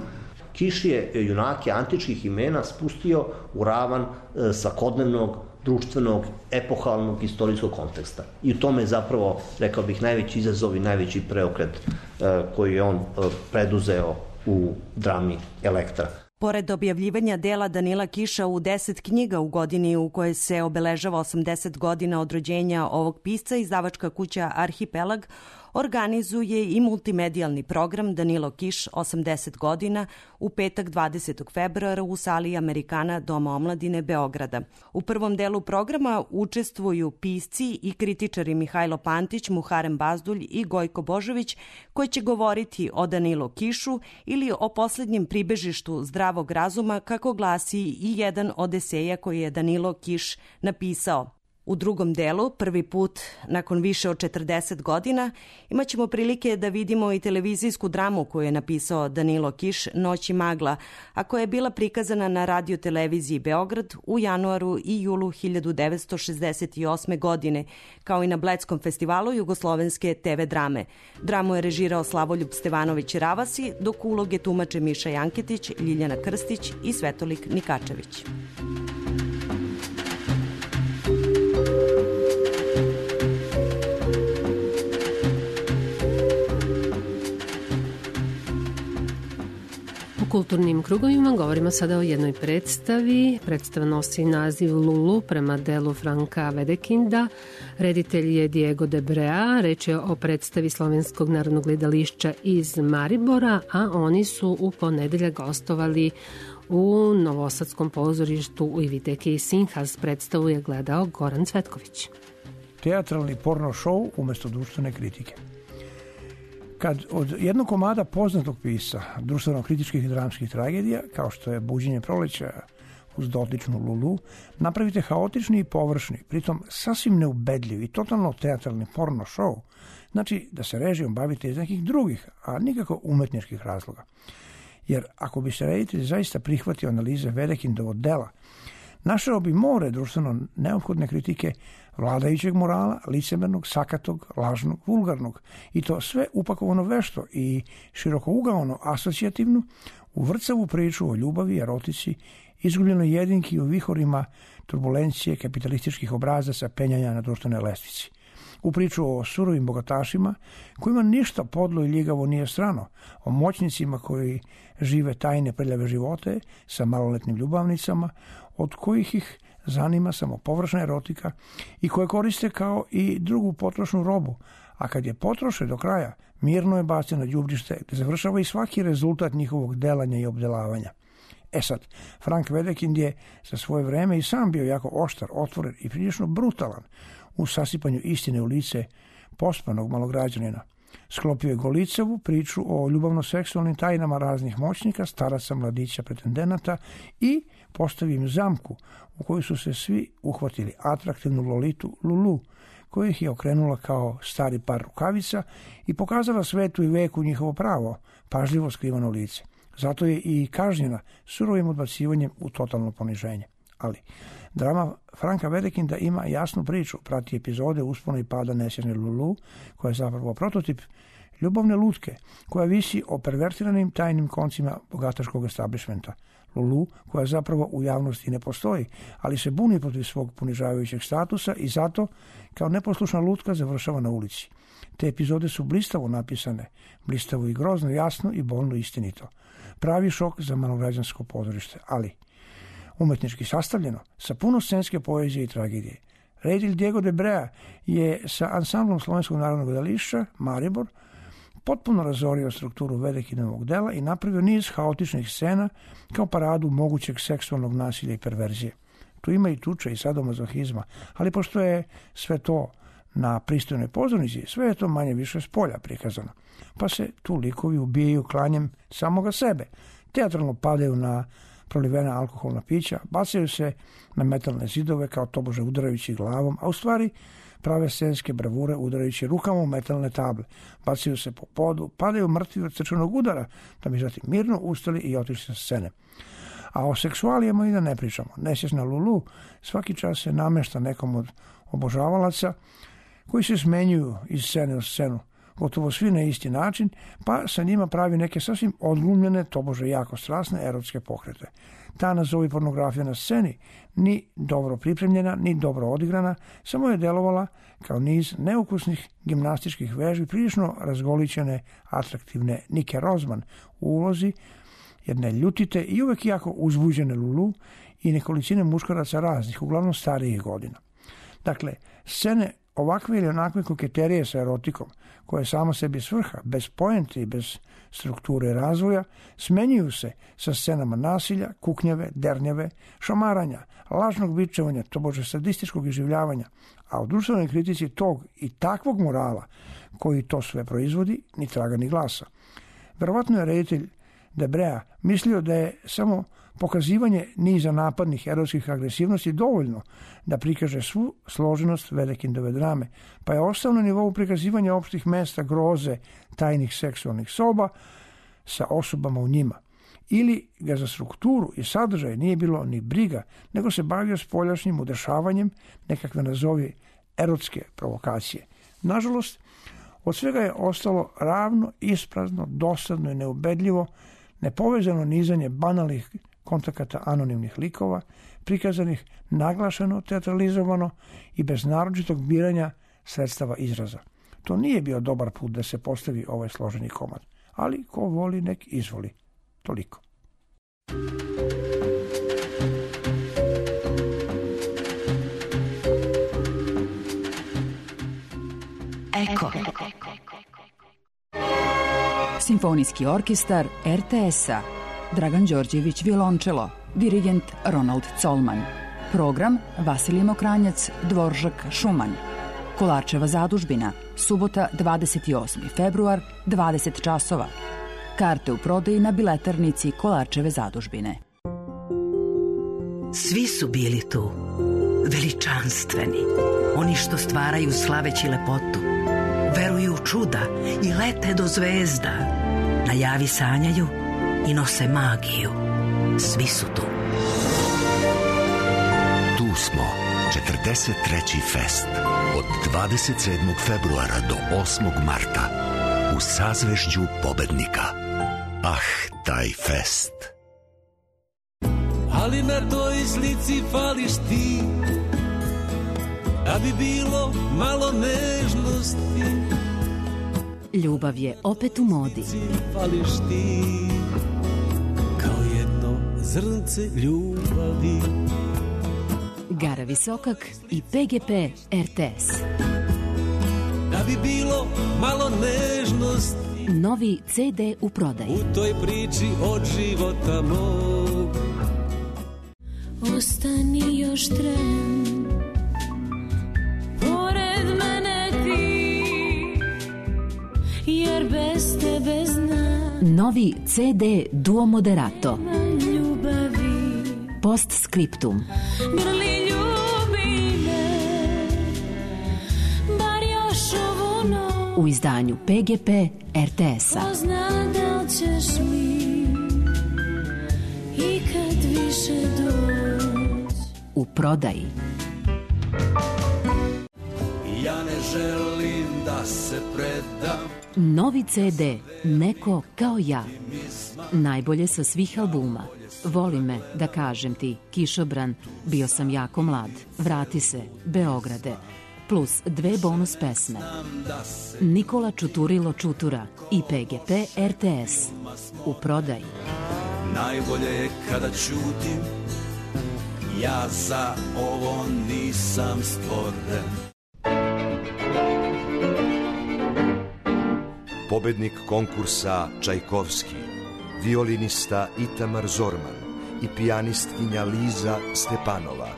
Kiš je junake antičkih imena spustio u ravan uh, svakodnevnog, društvenog, epohalnog, istorijskog konteksta. I u tome je zapravo, rekao bih, najveći izazov i najveći preokret uh, koji je on uh, preduzeo u drami Elektra. Pored objavljivanja dela Danila Kiša u deset knjiga u godini u kojoj se obeležava osamdeset godina od rođenja ovog pisca, izdavačka kuća Arhipelag organizuje i multimedijalni program Danilo Kiš osamdeset godina u petak dvadesetog februara u sali Amerikana Doma omladine Beograda. U prvom delu programa učestvuju pisci i kritičari Mihajlo Pantić, Muharem Bazdulj i Gojko Božović, koji će govoriti o Danilo Kišu ili o poslednjem pribežištu zdravog razuma, kako glasi i jedan od eseja koji je Danilo Kiš napisao. U drugom delu, prvi put nakon više od četrdeset godina, imat ćemo prilike da vidimo i televizijsku dramu koju je napisao Danilo Kiš, Noć i magla, a koja je bila prikazana na radioteleviziji Beograd u januaru i julu hiljadu devetsto šezdeset osme. godine, kao i na Bledskom festivalu jugoslovenske te ve drame. Dramu je režirao Slavoljub Stevanović Ravasi, dok uloge tumače Miša Janketić, Ljiljana Krstić i Svetolik Nikačević. U kulturnim krugovima govorimo sada o jednoj predstavi. Predstava nosi naziv Lulu prema delu Franka Wedekinda. Reditelj je Diego de Brea. Reč je o predstavi Slovenskog narodnog gledališća iz Maribora, a oni su u ponedeljak gostovali u Novosadskom pozorištu u Iviteke i Sinhas. Predstavu je gledao Goran Cvetković. Teatralni porno show umesto društvene kritike. Kad od jednog komada poznatog pisca društveno-kritičkih i dramskih tragedija, kao što je Buđenje proleća uz dotičnu Lulu, napravite haotični i površni, pritom sasvim neubedljiv i totalno teatralni porno show, znači da se režijom bavite iz nekih drugih, a nikako umetničkih razloga. Jer ako bi se reditelj zaista prihvatio analize Wedekindovog dela, našao bi more društveno neophodne kritike vladajućeg morala, licemernog, sakatog, lažnog, vulgarnog, i to sve upakovano vešto i širokougaono asocijativnu u vrcavu priču o ljubavi, erotici, izgubljenoj jedinki i u vihorima turbulencije kapitalističkih obrazaca penjanja na društvenoj lestvici. U priču o surovim bogatašima, kojima ništa podlo i ljigavo nije strano, o moćnicima koji žive tajne prljave živote sa maloletnim ljubavnicama, od kojih ih zanima samo površna erotika i koje koriste kao i drugu potrošnu robu, a kad je potroše do kraja, mirno je bace na đubrište gde završava i svaki rezultat njihovog delanja i obdelavanja. E sad, Frank Wedekind je za svoje vreme i sam bio jako oštar, otvoren i prilično brutalan u sasipanju istine u lice pospanog malograđanina. Sklopio je Golicevu priču o ljubavno-seksualnim tajnama raznih moćnika, staraca, mladića, pretendenata i postavio im zamku u kojoj su se svi uhvatili atraktivnu Lolitu Lulu, koja ih je okrenula kao stari par rukavica i pokazala svetu i veku njihovo pravo, pažljivo skrivano lice. Zato je i kažnjena surovim odbacivanjem u totalno poniženje. Ali drama Franka Wedekinda ima jasnu priču, prati epizode uspona i pada nesjerne Lulu, koja je zapravo prototip ljubavne lutke, koja visi o pervertiranim tajnim koncima bogataškog establishmenta. Lulu, koja zapravo u javnosti ne postoji, ali se buni protiv svog ponižavajućeg statusa i zato, kao neposlušna lutka, završava na ulici. Te epizode su blistavo napisane, blistavo i grozno, jasno i bolno istinito. Pravi šok za malograđansko pozorište, ali umetnički sastavljeno, sa puno scenske poezije i tragedije. Reditelj Diego Debrea je sa ansamblom Slovenskog narodnog gledališća Maribor potpuno razorio strukturu Vedekinovog dela i napravio niz haotičnih scena kao paradu mogućeg seksualnog nasilja i perverzije. Tu ima i tuča i sadomazohizma, ali pošto je sve to na pristojnoj pozornici, sve je to manje više s polja prikazano. Pa se tu likovi ubijaju klanjem samoga sebe, teatralno padaju na prolivena alkoholna pića, bacaju se na metalne zidove kao tobože udarajući glavom, a u stvari prave scenske bravure udarajući rukama u metalne table, bacaju se po podu, padaju mrtvi od srčanog udara, da bi zatim mirno ustali i otišli sa scene. A o seksualijama i da ne pričamo. Nesvjesna Lulu svaki čas se namešta nekom od obožavalaca koji se smenjuju iz scene u scenu, gotovo svi na isti način, pa sa njima pravi neke sasvim odglumljene, tobože jako strasne erotske pokrete. Ta nazovi pornografija na sceni ni dobro pripremljena, ni dobro odigrana, samo je delovala kao niz neukusnih gimnastičkih vežbi, prilično razgoličene, atraktivne Nike Rozman u ulozi jedne ljutite i uvek jako uzbuđene Lulu i nekolicine muškaraca raznih, uglavnom starijih godina. Dakle, scene ovakve ili onakve koketerije sa erotikom, koja je samo sebi svrha, bez poente i bez strukture razvoja, smenjuju se sa scenama nasilja, kuknjave, dernjave, šamaranja, lažnog bičevanja, tobože sadističkog iživljavanja, a u društvenoj kritici tog i takvog morala koji to sve proizvodi, ni traga ni glasa. Verovatno je reditelj Debrea mislio da je samo pokazivanje niza napadnih erotskih agresivnosti dovoljno da prikaže svu složenost Vedekindove drame, pa je ostao na nivou prikazivanja opštih mesta groze tajnih seksualnih soba sa osobama u njima. Ili ga za strukturu i sadržaj nije bilo ni briga, nego se bavio spoljašnjim udešavanjem nekakve nazovi erotske provokacije. Nažalost, od svega je ostalo ravno, isprazno, dosadno i neubedljivo, nepovezano nizanje banalnih kontakata anonimnih likova, prikazanih naglašeno, teatralizovano i bez naročitog biranja sredstava izraza. To nije bio dobar put da se postavi ovaj složeni komad, ali ko voli nek izvoli. Toliko. Eko. Simfonijski orkestar er te es-a. Dragan Đorđević violončelo, dirigent Ronald Colman. Program Vasilij Mokranjac, Dvoržak Šuman. Kolarčeva zadužbina, subota dvadeset osmi februar, dvadeset časova. Karte u prodaji na biletarnici Kolarčeve zadužbine. Svi su bili tu, veličanstveni, oni što stvaraju slaveći lepotu, veruju u čuda i lete do zvezda, na javi sanjaju i nose magiju. Svi su tu. Tu smo, četrdeset treći fest, od dvadeset sedmog februara do osmog marta, u sazvežđu pobednika. Ah, taj fest. Ali na toj slici fališ ti, da bi bilo malo nežnosti. Ljubav je opet u modi. Fališ ti, kao jedno zrnce ljubavi. Gara Visokak i pe ge pe er te es. Da bi bilo malo nežnosti. Novi ce de u prodaji. U toj priči od života mog. Ostani još tren, pored mene ti, jer bez tebe znam. Novi ce de Duo Moderato. Ljubavi. Postscriptum. Grli ljubi me, bar još ovu noć. U izdanju pe ge pe er te es-a. Ko zna da li ćeš mi ikad više doći. U prodaji. Ja ne želim da se predam. Novi ce de Neko kao ja. Najbolje sa svih albuma. Voli me, da kažem ti, Kišobran, Bio sam jako mlad, Vrati se, Beograde, plus dve bonus pesme. Nikola Čuturilo Čutura i pe ge pe er te es. U prodaji. Najbolje je kada ćutim, ja za ovo nisam stvoren. Pobednik konkursa Čajkovski, violinista Itamar Zorman i pijanistkinja Liza Stepanova.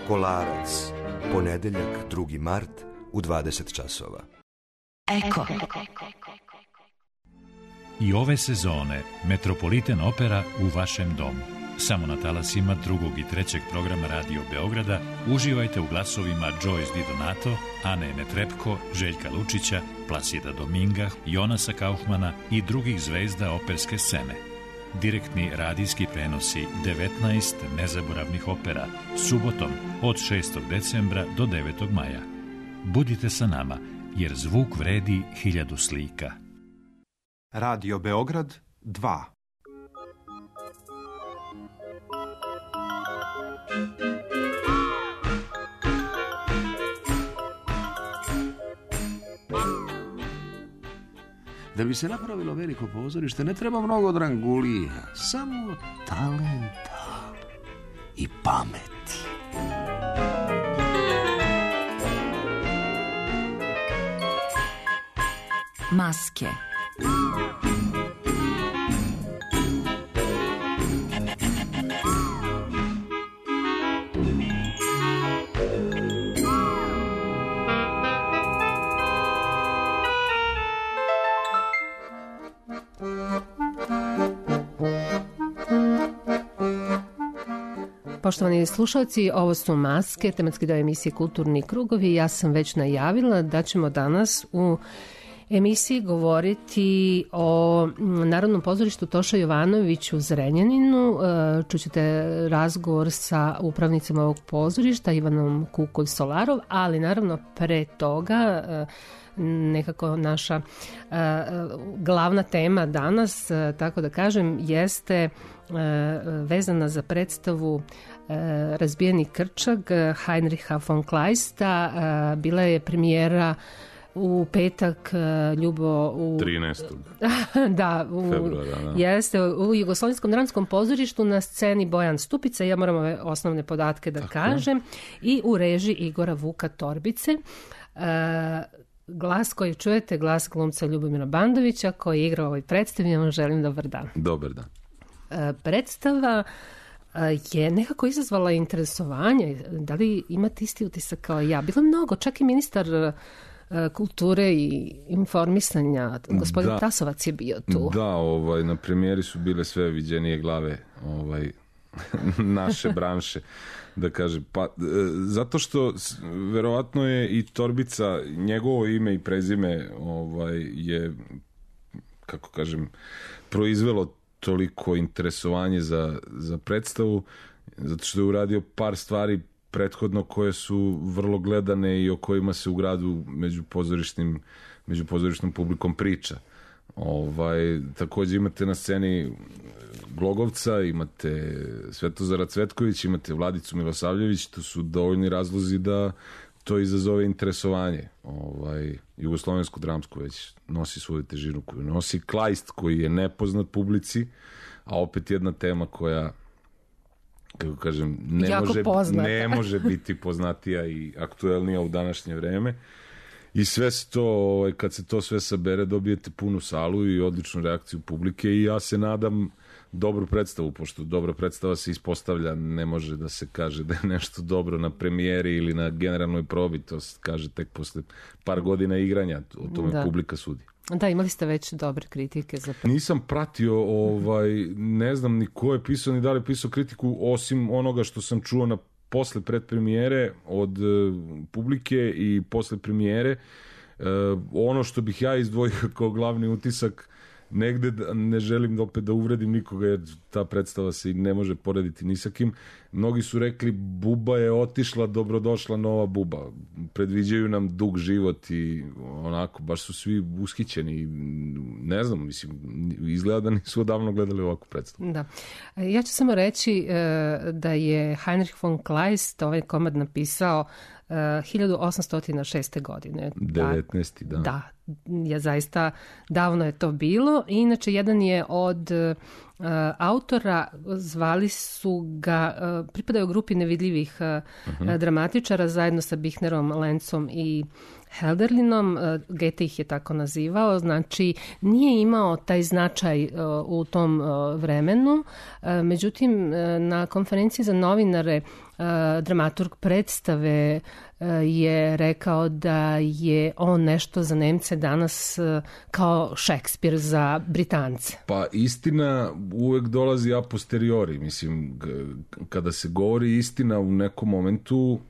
Kolarac, ponedeljak drugi mart u dvadeset časova. Eko. I ove sezone Metropolitan Opera u vašem domu. Samo na talasima drugog i trećeg programa Radio Beograda uživajte u glasovima Joyce Di Donato, Ane Netrepko, Željka Lučića, Plasida Dominga, Jonasa Kaufmana i drugih zvezda operske scene. Direktni radijski prenosi devetnaest nezaboravnih opera subotom od šestog decembra do devetog maja. Budite sa nama, jer zvuk vredi hiljadu slika. Radio Beograd dva. Da bi se napravilo veliko pozorište ne treba mnogo drangulija, samo talenta i pameti. Maske. Poštovani slušalci, ovo su Maske, tematski deo emisije Kulturni krugovi. Ja sam već najavila da ćemo danas u emisiji govoriti o Narodnom pozorištu Toša Jovanović u Zrenjaninu. Čućete razgovor sa upravnicom ovog pozorišta, Ivanom Kukolj-Solarov, ali naravno pre toga nekako naša uh, glavna tema danas, uh, tako da kažem, jeste uh, vezana za predstavu uh, Razbijeni krčag Heinricha von Kleista. Uh, bila je premijera u petak, Ljubo, u trinaestog da, u, februara, da. Jeste, u Jugoslovenskom dramskom pozorištu na sceni Bojan Stupica, ja moram ove osnovne podatke da Tako. kažem, i u režiji Igora Vuka Torbice. Uh, Glas koji čujete, glas glumca Ljubomira Bandovića, koji je igrao ovoj predstavi. Vam želim dobar dan. Dobar dan. Predstava je nekako izazvala interesovanje. Da li imate isti utisak kao ja? Bilo mnogo, čak i ministar kulture i informisanja, gospodin da, Tasovac je bio tu. Da, ovaj, na premijeri su bile sve viđenije glave ovaj, naše branše. Da kaže, pa, zato što verovatno je i Torbica, njegovo ime i prezime ovaj, je, kako kažem, proizvelo toliko interesovanje za, za predstavu, zato što je uradio par stvari prethodno koje su vrlo gledane i o kojima se u gradu među pozorišnim, među pozorišnom publikom priča. Ovaj, takođe imate na sceni Glogovca, imate Svetozara Cvetković, imate Vladicu Milosavljević, to su dovoljni razlozi da to izazove interesovanje. Ovaj, Jugoslovensku dramsku već nosi svoju težinu koju nosi. Kleist koji je nepoznat publici, a opet jedna tema koja, kako kažem, ne, može, ne može biti poznatija i aktuelnija u današnje vreme. I sve se to, kad se to sve sabere, dobijete punu salu i odličnu reakciju publike i ja se nadam dobru predstavu, pošto dobra predstava se ispostavlja, ne može da se kaže da je nešto dobro na premijeri ili na generalnoj probi, to se kaže tek posle par godina igranja, o tome da. Publika sudi. Da, imali ste već dobre kritike za... Nisam pratio, ovaj, ne znam ni ko je pisao, ni da li je pisao kritiku, osim onoga što sam čuo na posle predpremijere od uh, publike i posle premijere. Uh, ono što bih ja izdvojio kao glavni utisak, negde da, ne želim da opet da uvredim nikoga, jer ta predstava se ne može porediti ni sa kim. Mnogi su rekli, Buba je otišla, dobrodošla nova Buba. Predviđaju nam dug život i onako, baš su svi ushićeni. Ne znam, mislim, izgleda da nisu odavno gledali ovakvu predstavu. Da. Ja ću samo reći da je Heinrich von Kleist ovaj komad napisao hiljadu osamsto šeste. godine. devetnaesti. Da. Da, je zaista davno je to bilo. Inače, jedan je od uh, autora, zvali su ga, uh, pripadaju grupi nevidljivih uh, uh-huh. dramatičara zajedno sa Bichnerom, Lenzom i Helderlinom, Goethe ih je tako nazivao, znači nije imao taj značaj u tom vremenu, međutim na konferenciji za novinare dramaturg predstave je rekao da je on nešto za Nemce danas kao Šekspir za Britance. Pa istina uvek dolazi a posteriori, mislim, kada se govori istina u nekom momentu,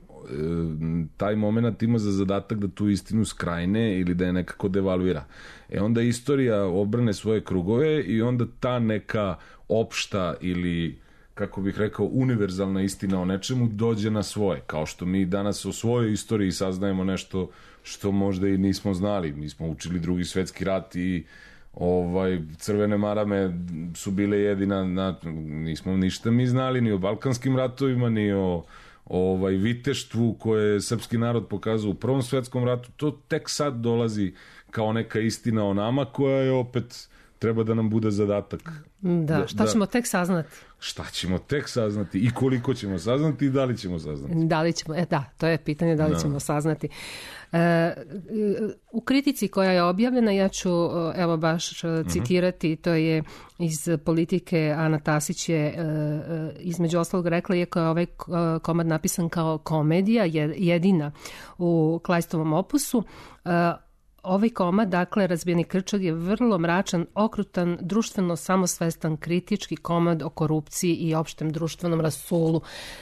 taj moment ima za zadatak da tu istinu skrajne ili da je nekako devaluira. E onda istorija obrne svoje krugove i onda ta neka opšta ili, kako bih rekao, univerzalna istina o nečemu dođe na svoje. Kao što mi danas o svojoj istoriji saznajemo nešto što možda i nismo znali. Mi smo učili Drugi svetski rat i ovaj, crvene marame su bile jedina, na, nismo ništa mi znali ni o Balkanskim ratovima, ni o ovaj viteštvu koje je srpski narod pokazao u Prvom svetskom ratu. To tek sad dolazi kao neka istina o nama koja je opet treba da nam bude zadatak. Da, šta da, ćemo tek saznati? Šta ćemo tek saznati i koliko ćemo saznati i da li ćemo saznati? Da li ćemo, e da, to je pitanje da li da. ćemo saznati. E, u kritici koja je objavljena, ja ću evo baš citirati, to je iz Politike, Ana Tasić je između ostalog rekla, iako je ovaj komad napisan kao komedija, jedina u Klajstovom opusu, ovaj komad, dakle, Razbijeni krčag je vrlo mračan, okrutan, društveno samosvestan, kritički komad o korupciji i opštem društvenom rasulu.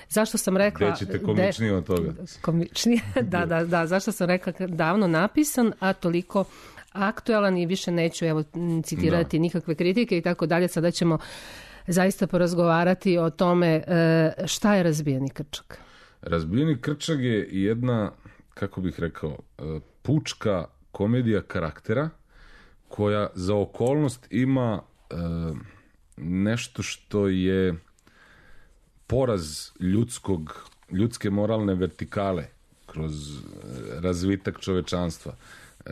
Zašto sam rekla... Gde ćete komičnije od toga? Komičnije, da, da, da. Zašto sam rekla davno napisan, a toliko aktualan i više neću, evo, citirati da. nikakve kritike i tako dalje. Sada ćemo zaista porazgovarati o tome šta je Razbijeni krčag. Razbijeni krčag je jedna, kako bih rekao, pučka komedija karaktera koja za okolnost ima e, nešto što je poraz ljudskog, ljudske moralne vertikale kroz razvitak čovečanstva. E,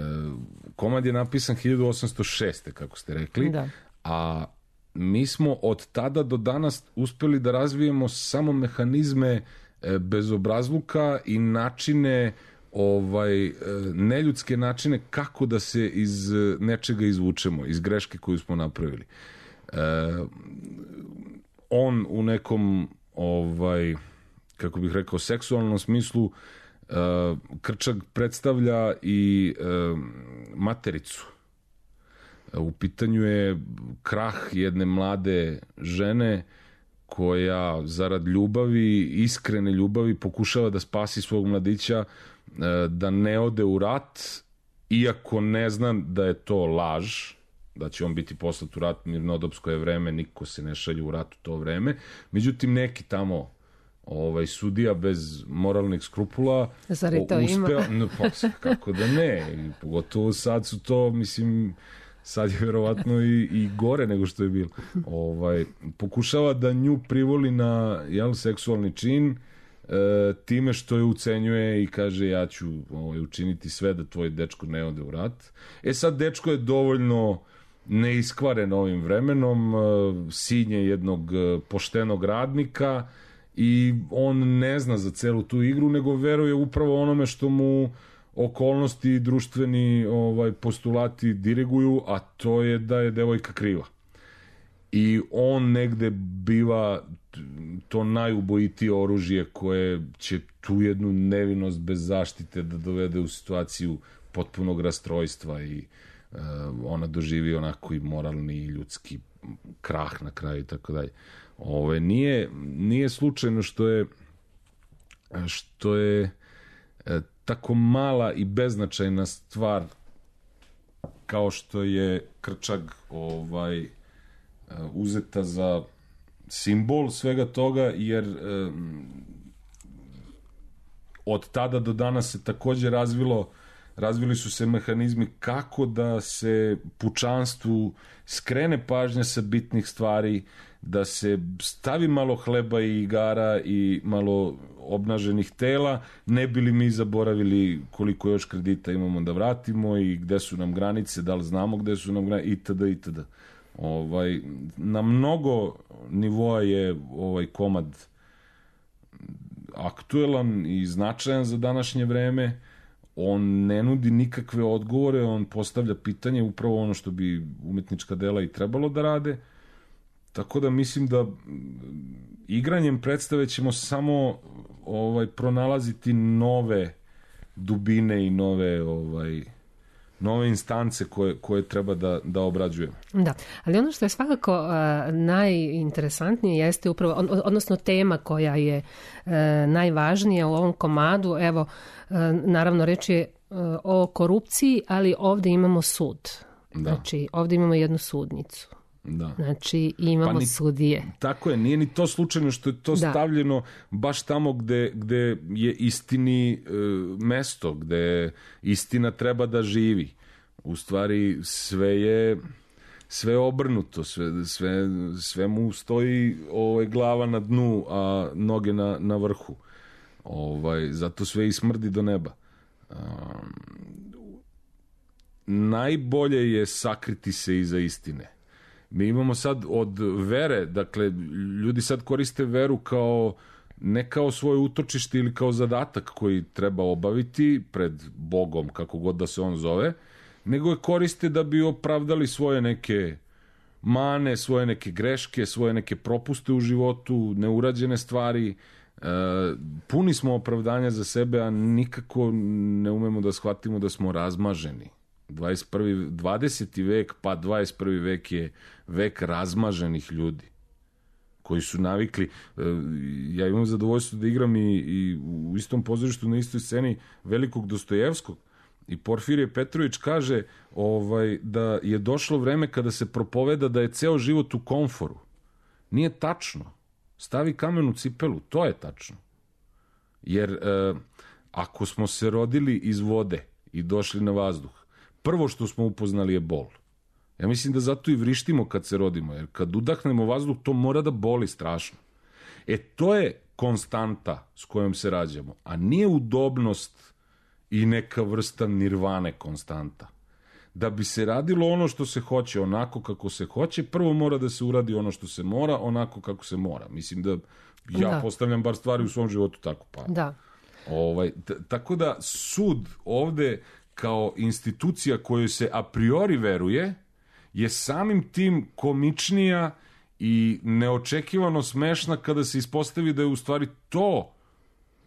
komad je napisan hiljadu osamsto šeste. kako ste rekli, da. A mi smo od tada do danas uspeli da razvijemo samo mehanizme e, bezobrazluka i načine ovaj neljudske načine kako da se iz nečega izvučemo, iz greške koju smo napravili. E, on u nekom ovaj, kako bih rekao, seksualnom smislu e, krčag predstavlja i e, matericu. U pitanju je krah jedne mlade žene koja zarad ljubavi, iskrene ljubavi, pokušava da spasi svog mladića, da ne ode u rat, iako ne znam da je to laž, da će on biti poslat u rat, mirnodopsko je vreme, niko se ne šalje u rat u to vreme. Međutim, neki tamo ovaj, sudija bez moralnih skrupula Zar i to uspeo, ima? No, pa, kako da ne, i pogotovo sad su to, mislim, sad je verovatno i, i gore nego što je bilo. Ovaj, pokušava da nju privoli na jel, seksualni čin, e, time što je ucenjuje i kaže ja ću ovaj, učiniti sve da tvoj dečko ne ode u rat. E sad dečko je dovoljno neiskvaren ovim vremenom, e, sin je jednog poštenog radnika i on ne zna za celu tu igru, nego veruje upravo onome što mu okolnosti i društveni ovaj, postulati diriguju, a to je da je devojka kriva. I on negde biva to najubojitije oružje koje će tu jednu nevinost bez zaštite da dovede u situaciju potpunog rastrojstva i uh, ona doživi onako i moralni i ljudski krah na kraju i tako dalje. Ove, nije, nije slučajno što je što je e, tako mala i beznačajna stvar kao što je krčag ovaj, uzeta za simbol svega toga, jer eh, od tada do danas se takođe razvilo razvili su se mehanizmi kako da se pučanstvu skrene pažnja sa bitnih stvari, da se stavi malo hleba i igara i malo obnaženih tela, ne bi li mi zaboravili koliko još kredita imamo da vratimo i gde su nam granice, da li znamo gde su nam granice, itd. itd. Ovaj, na mnogo nivoa je ovaj komad aktuelan i značajan za današnje vreme. On ne nudi nikakve odgovore, on postavlja pitanje, upravo ono što bi umetnička dela i trebalo da rade. Tako da mislim da igranjem predstave ćemo samo ovaj pronalaziti nove dubine i nove ovaj nove instance koje, koje treba da, da obrađujemo. Da, ali ono što je svakako uh, najinteresantnije jeste upravo, on, odnosno tema koja je uh, najvažnija u ovom komadu. Evo, uh, naravno reč je uh, o korupciji, ali ovdje imamo sud. Da. Znači, ovdje imamo jednu sudnicu. Da. Znači, imamo pa ni, sudije. Tako je, nije ni to slučajno što je to da. stavljeno baš tamo gde, gde je istini e, mesto, gde istina treba da živi. U stvari sve je sve obrnuto, sve, sve, sve mu stoji ovaj, glava na dnu, a noge na, na vrhu. Ovaj, zato sve i smrdi do neba. Um, najbolje je sakriti se iza istine. Mi imamo sad od vere, dakle, ljudi sad koriste veru kao, ne kao svoje utočište ili kao zadatak koji treba obaviti pred Bogom, kako god da se on zove, nego je koriste da bi opravdali svoje neke mane, svoje neke greške, svoje neke propuste u životu, neurađene stvari. E, puni smo opravdanja za sebe, a nikako ne umemo da shvatimo da smo razmaženi. dvadeset prvi, dvadeseti vek pa dvadeset prvi vek je vek razmaženih ljudi koji su navikli. Ja imam zadovoljstvo da igram i, i u istom pozorištu na istoj sceni velikog Dostojevskog i Porfirije Petrović kaže ovaj, da je došlo vreme kada se propoveda da je ceo život u komforu. Nije tačno. Stavi kamen u cipelu, to je tačno. Jer eh, ako smo se rodili iz vode i došli na vazduh, prvo što smo upoznali je bol. Ja mislim da zato i vrištimo kad se rodimo, jer kad udahnemo vazduh, to mora da boli strašno. E, to je konstanta s kojom se rađamo, a nije udobnost i neka vrsta nirvane konstanta. Da bi se radilo ono što se hoće, onako kako se hoće, prvo mora da se uradi ono što se mora, onako kako se mora. Mislim da ja da. postavljam bar stvari u svom životu tako. Pa. Da. Ovaj, t- tako da sud ovde kao institucija koju se a priori veruje, je samim tim komičnija i neočekivano smešna kada se ispostavi da je u stvari to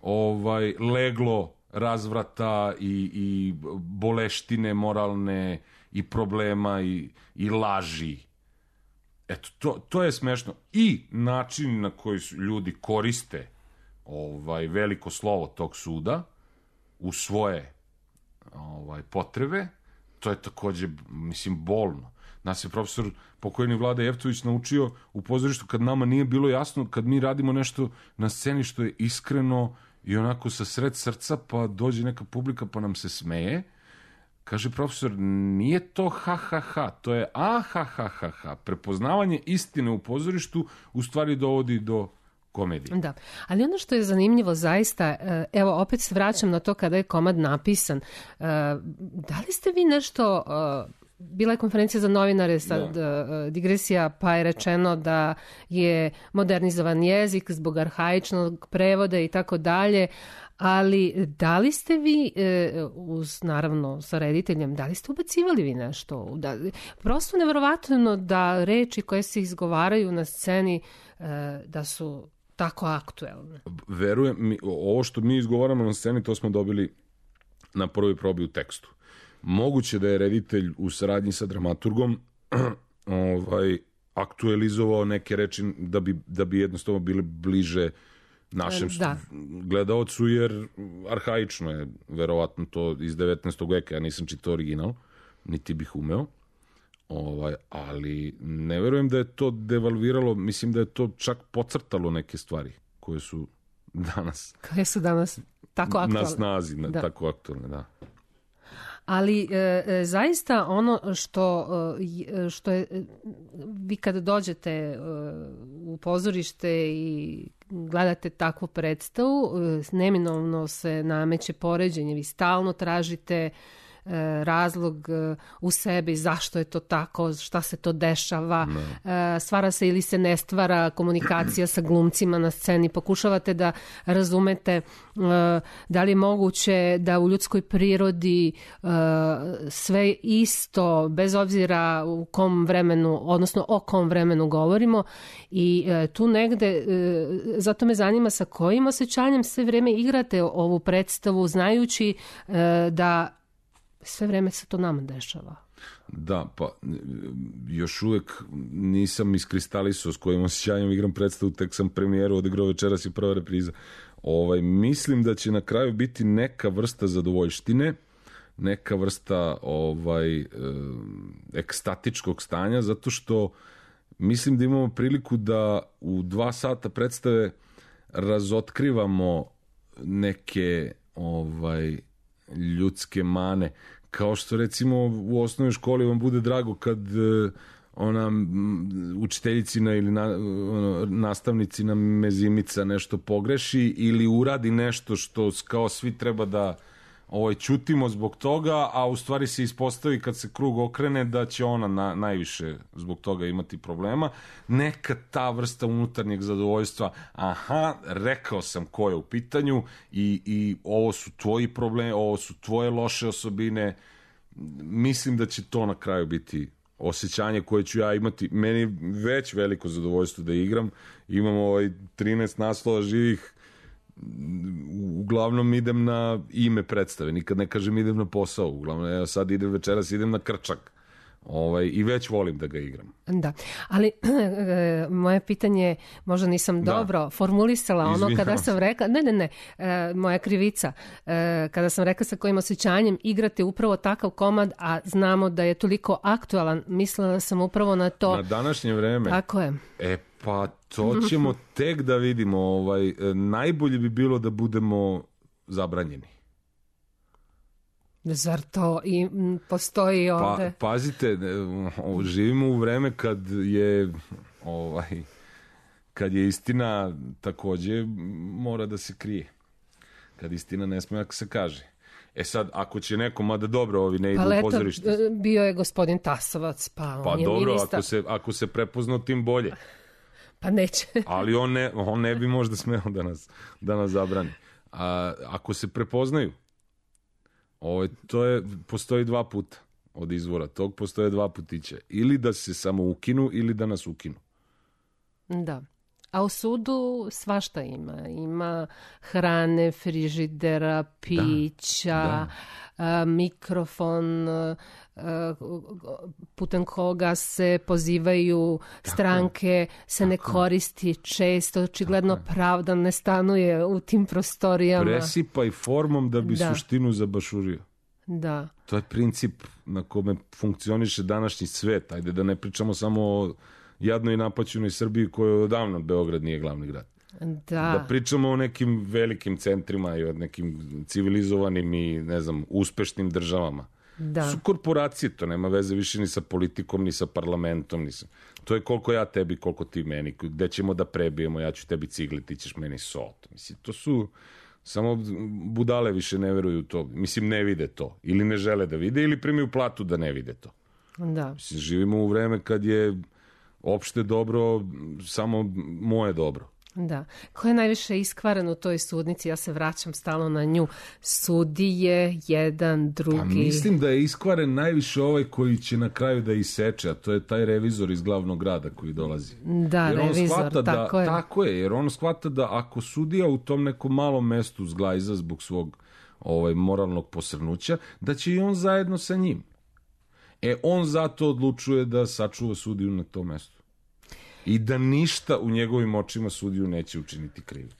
ovaj leglo razvrata i, i boleštine moralne i problema i, i laži. Eto, to, to je smešno. I način na koji su ljudi koriste ovaj veliko slovo tog suda u svoje ovaj potrebe, to je takođe, mislim, bolno. Nas je profesor pokojni Vlada Jevtović naučio u pozorištu kad nama nije bilo jasno, kad mi radimo nešto na sceni što je iskreno i onako sa sred srca, pa dođe neka publika pa nam se smeje. Kaže profesor, nije to ha ha ha, to je a ha ha ha ha. Prepoznavanje istine u pozorištu u stvari dovodi do komedije. Da, ali ono što je zanimljivo zaista, evo opet se vraćam na to kada je komad napisan. Da li ste vi nešto, bila je konferencija za novinare, sad da. digresija, pa je rečeno da je modernizovan jezik zbog arhaičnog prevoda i tako dalje, ali da li ste vi, uz naravno sa rediteljem, da li ste ubacivali vi nešto? Da, prosto neverovatno da reči koje se izgovaraju na sceni da su tako aktuelne. Verujem, mi, ovo što mi izgovaramo na sceni, to smo dobili na prvoj probi u tekstu. Moguće da je reditelj u saradnji sa dramaturgom ovaj, aktualizovao neke reči da bi, da bi jednostavno bile bliže našem da. gledaocu, jer arhaično je verovatno to iz devetnaestog veka, ja nisam čitao original, niti bih umeo. Ovaj, ali ne verujem da je to devalviralo, mislim da je to čak pocrtalo neke stvari koje su danas koje su danas tako aktualne. Na snazi, na, tako aktualne, da. Ali e, zaista ono što, što je, vi kada dođete e, u pozorište i gledate takvu predstavu, neminovno se nameće poređenje. Vi stalno tražite razlog u sebi zašto je to tako, šta se to dešava, no. stvara se ili se ne stvara komunikacija sa glumcima na sceni, pokušavate da razumete da li je moguće da u ljudskoj prirodi sve isto, bez obzira u kom vremenu, odnosno o kom vremenu govorimo, i tu negde, zato me zanima sa kojim osjećanjem sve vreme igrate ovu predstavu, znajući da sve vreme se to nama dešava. Da, pa još uvek nisam iskristalisao s kojim osjećanjem igram predstavu, tek sam premijeru odigrao večeras i prva repriza. Ovaj, mislim da će na kraju biti neka vrsta zadovoljštine, neka vrsta ovaj, e, ekstatičkog stanja, zato što mislim da imamo priliku da u dva sata predstave razotkrivamo neke ovaj, ljudske mane, kao što recimo u osnovnoj školi vam bude drago kad ona učiteljicina ili na, ono, nastavnicina mezimica nešto pogreši ili uradi nešto što kao svi treba da ovaj, ćutimo zbog toga, a u stvari se ispostavi kad se krug okrene da će ona na, najviše zbog toga imati problema. Neka ta vrsta unutarnjeg zadovoljstva, aha, rekao sam ko je u pitanju i, i ovo su tvoji problemi, ovo su tvoje loše osobine. Mislim da će to na kraju biti osjećanje koje ću ja imati. Meni je već veliko zadovoljstvo da igram. Imam ovaj trinaest naslova živih. Uglavnom idem na ime predstave, nikad ne kažem idem na posao, uglavnom evo sad idem večeras, idem na Krčak, ovaj, i već volim da ga igram. Da, ali moje pitanje, možda nisam da. dobro formulisala, ono Izvinjam kada sam rekla, ne, ne, ne, e, moja krivica, e, kada sam rekla sa kojim osjećanjem igrate upravo takav komad, a znamo da je toliko aktualan, mislila sam upravo na to. Na današnje vreme. Tako je. E, pa to ćemo tek da vidimo. Ovaj, najbolje bi bilo da budemo zabranjeni. Zar to i postoji ovde? Pa, pazite, živimo u vreme kad je ovaj, kad je istina takođe mora da se krije. Kad istina ne sme da se kaže. E sad, ako će neko, mada dobro, ovi ne idu pa u pozorište. Pa leto, bio je gospodin Tasovac, pa on pa je dobro, ministar. ako se, ako se prepoznao, tim bolje. Pa neće. Ali on ne, on ne bi možda smeo da nas, da nas zabrani. A, ako se prepoznaju, ovaj, to je, postoji dva puta od izvora. Tog postoje dva putića. Ili da se samo ukinu, ili da nas ukinu. Da. A u sudu svašta ima. Ima hrane, frižidera, pića, da, da. mikrofon, putem koga se pozivaju tako stranke, se tako ne koristi često, očigledno pravda ne stanuje u tim prostorijama. Presipaj formom da bi da. suštinu zabašurio. Da. To je princip na kome funkcioniše današnji svet. Ajde da ne pričamo samo o jadnoj i napaćenoj Srbiji kojoj odavno Beograd nije glavni grad. Da. Da pričamo o nekim velikim centrima i o nekim civilizovanim i, ne znam, uspešnim državama. Da. Su korporacije, to nema veze više ni sa politikom, ni sa parlamentom, ni sa... To je koliko ja tebi, koliko ti meni, gde ćemo da prebijemo, ja ću tebi cigle, ti ćeš meni sot. Mislim, to su... Samo budale više ne veruju to. Mislim, ne vide to. Ili ne žele da vide, ili primaju platu da ne vide to. Da. Mislim, živimo u vreme kad je opšte dobro samo moje dobro. Da. Ko je najviše iskvaren u toj sudnici? Ja se vraćam stalno na nju. Sudije, jedan, drugi... Pa mislim da je iskvaren najviše ovaj koji će na kraju da iseče, a to je taj revizor iz glavnog grada koji dolazi. Da, jer revizor, da, tako je. Tako je, jer on shvata da ako sudija u tom nekom malom mestu zglajza zbog svog ovaj, moralnog posrnuća, da će i on zajedno sa njim. E, on zato odlučuje da sačuva sudiju na tom mestu. I da ništa u njegovim očima sudiju neće učiniti krivo.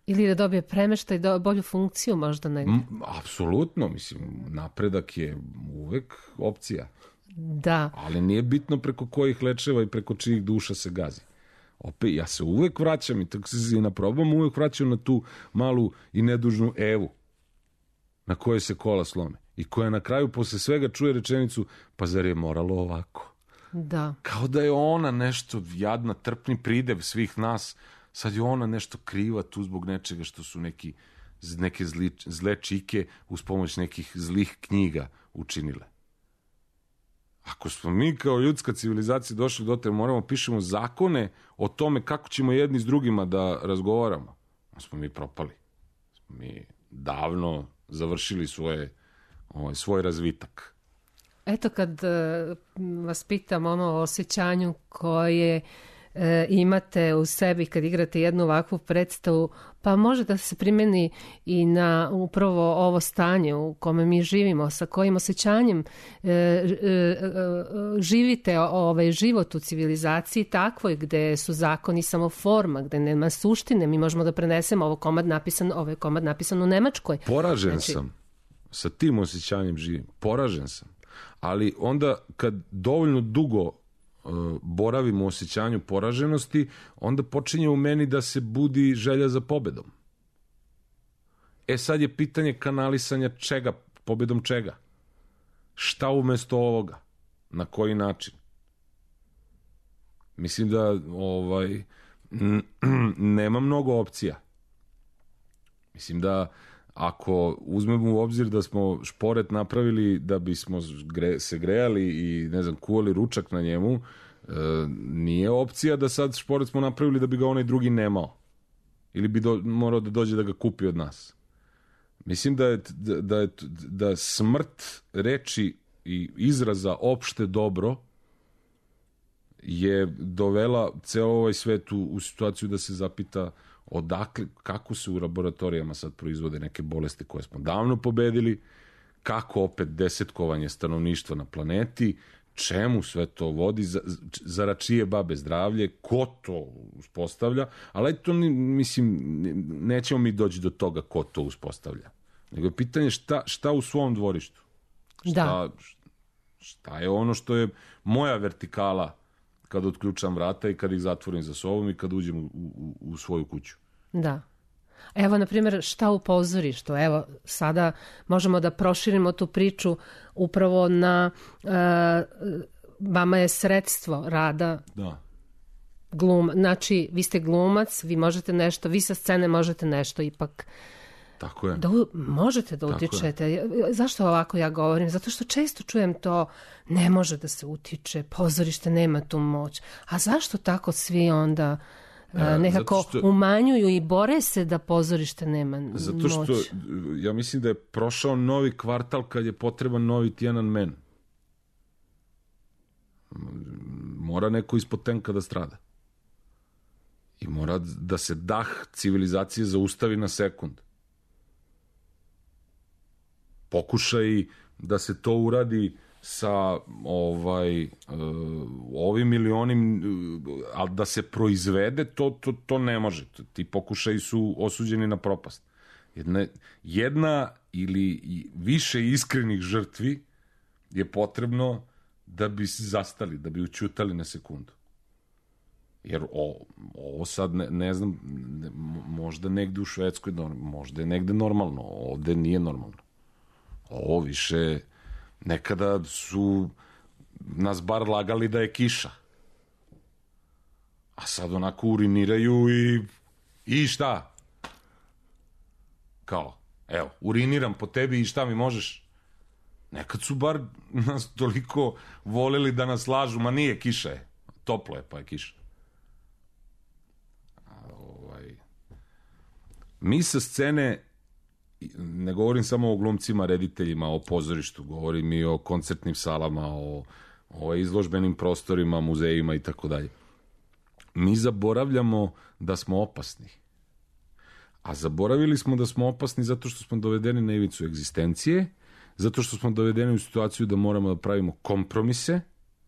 Ili da dobije premeštaj, da bolju funkciju možda negdje. Apsolutno, mislim, napredak je uvek opcija. Da. Ali nije bitno preko kojih lečeva i preko čijih duša se gazi. Opet, ja se uvek vraćam i tako se i na probam uvek vraćam na tu malu i nedužnu Evu na kojoj se kola slome. i koja na kraju posle svega čuje rečenicu, pa zar je moralo ovako? Da. Kao da je ona nešto jadna, trpni pridev svih nas, sad je ona nešto kriva tu zbog nečega što su neki, neke zli, zle čike uz pomoć nekih zlih knjiga učinile. Ako smo mi kao ljudska civilizacija došli do te, moramo pišemo zakone o tome kako ćemo jedni s drugima da razgovaramo. Smo mi propali. Smo mi davno završili svoje, ovaj, svoj razvitak. Eto kad uh, vas pitam ono o osjećanju koje uh, imate u sebi kad igrate jednu ovakvu predstavu, pa može da se primeni i na upravo ovo stanje u kome mi živimo, sa kojim osjećanjem uh, uh, uh, živite ovaj život u civilizaciji takvoj gde su zakoni samo forma, gde nema suštine, mi možemo da prenesemo ovo komad napisan, ovaj komad napisan u Nemačkoj. Poražen znači... sam, sa tim osjećanjem živim, poražen sam. Ali onda kad dovoljno dugo uh, boravim u osjećanju poraženosti, onda počinje u meni da se budi želja za pobedom. E sad je pitanje kanalisanja čega, pobedom čega? Šta umesto ovoga? Na koji način? Mislim da ovaj, nema mnogo opcija. Mislim da ako uzmemo u obzir da smo šporet napravili da bismo gre, se grejali i ne znam, kuvali ručak na njemu, e, nije opcija da sad šporet smo napravili da bi ga onaj drugi nemao. Ili bi do, morao da dođe da ga kupi od nas. Mislim da je, da, da je da smrt reči i izraza opšte dobro je dovela ceo ovaj svet u, u situaciju da se zapita odakle, kako se u laboratorijama sad proizvode neke bolesti koje smo davno pobedili, kako opet desetkovanje stanovništva na planeti, čemu sve to vodi, za, za čije babe zdravlje, ko to uspostavlja, ali to, mislim, nećemo mi doći do toga ko to uspostavlja. Nego je pitanje šta, šta u svom dvorištu. Šta, da. Šta je ono što je moja vertikala kad otključam vrata i kad ih zatvorim za sobom i kad uđem u, u, u svoju kuću. Da. Evo, na primjer, šta u pozorištu? Evo, sada možemo da proširimo tu priču upravo na uh, vama je sredstvo rada da. glum. Znači, vi ste glumac, vi možete nešto, vi sa scene možete nešto ipak Tako je. Da u, možete da utičete. Zašto ovako ja govorim? Zato što često čujem to, ne može da se utiče, pozorište nema tu moć. A zašto tako svi onda e, nekako što, umanjuju i bore se da pozorište nema moć? Zato što ja mislim da je prošao novi kvartal kad je potreban novi Tiananmen. Mora neko ispod tenka da strada. I mora da se dah civilizacije zaustavi na sekund. Pokušaj da se to uradi sa ovaj, uh, ovim ili onim, uh, ali da se proizvede, to, to, to ne može. Ti pokušaji su osuđeni na propast. Jedna, jedna ili više iskrenih žrtvi je potrebno da bi zastali, da bi učutali na sekundu. Jer o, ovo sad, ne, ne znam, ne, možda negde u Švedskoj, možda je negde normalno, ovde nije normalno. Ovo više, nekada su nas bar lagali da je kiša. A sad onako uriniraju i, i šta? Kao, evo, uriniram po tebi i šta mi možeš? Nekad su bar nas toliko voleli da nas lažu, ma nije, kiša je. Toplo je, pa je kiša. A, ovaj... Mi sa scene, ne govorim samo o glumcima, rediteljima, o pozorištu, govorim i o koncertnim salama, o, o izložbenim prostorima, muzejima i tako dalje. Mi zaboravljamo da smo opasni. A zaboravili smo da smo opasni zato što smo dovedeni na ivicu egzistencije, zato što smo dovedeni u situaciju da moramo da pravimo kompromise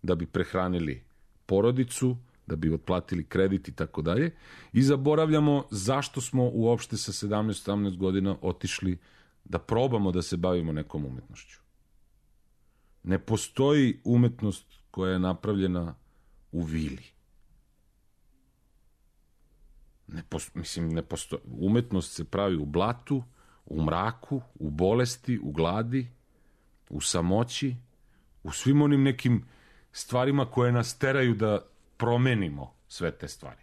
da bi prehranili porodicu, da bi otplatili kredit i tako dalje, i zaboravljamo zašto smo uopšte sa sedamnaest osamnaest godina otišli da probamo da se bavimo nekom umetnošću. Ne postoji umetnost koja je napravljena u vili. Ne posto, mislim, ne postoji. Umetnost se pravi u blatu, u mraku, u bolesti, u gladi, u samoći, u svim onim nekim stvarima koje nas teraju da promenimo sve te stvari.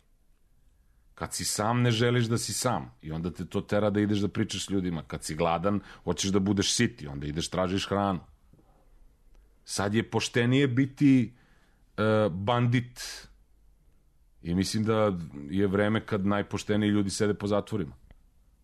Kad si sam, ne želiš da si sam i onda te to tera da ideš da pričaš s ljudima. Kad si gladan, hoćeš da budeš sit i onda ideš tražiš hranu. Sad je poštenije biti uh, bandit i mislim da je vreme kad najpošteniji ljudi sede po zatvorima.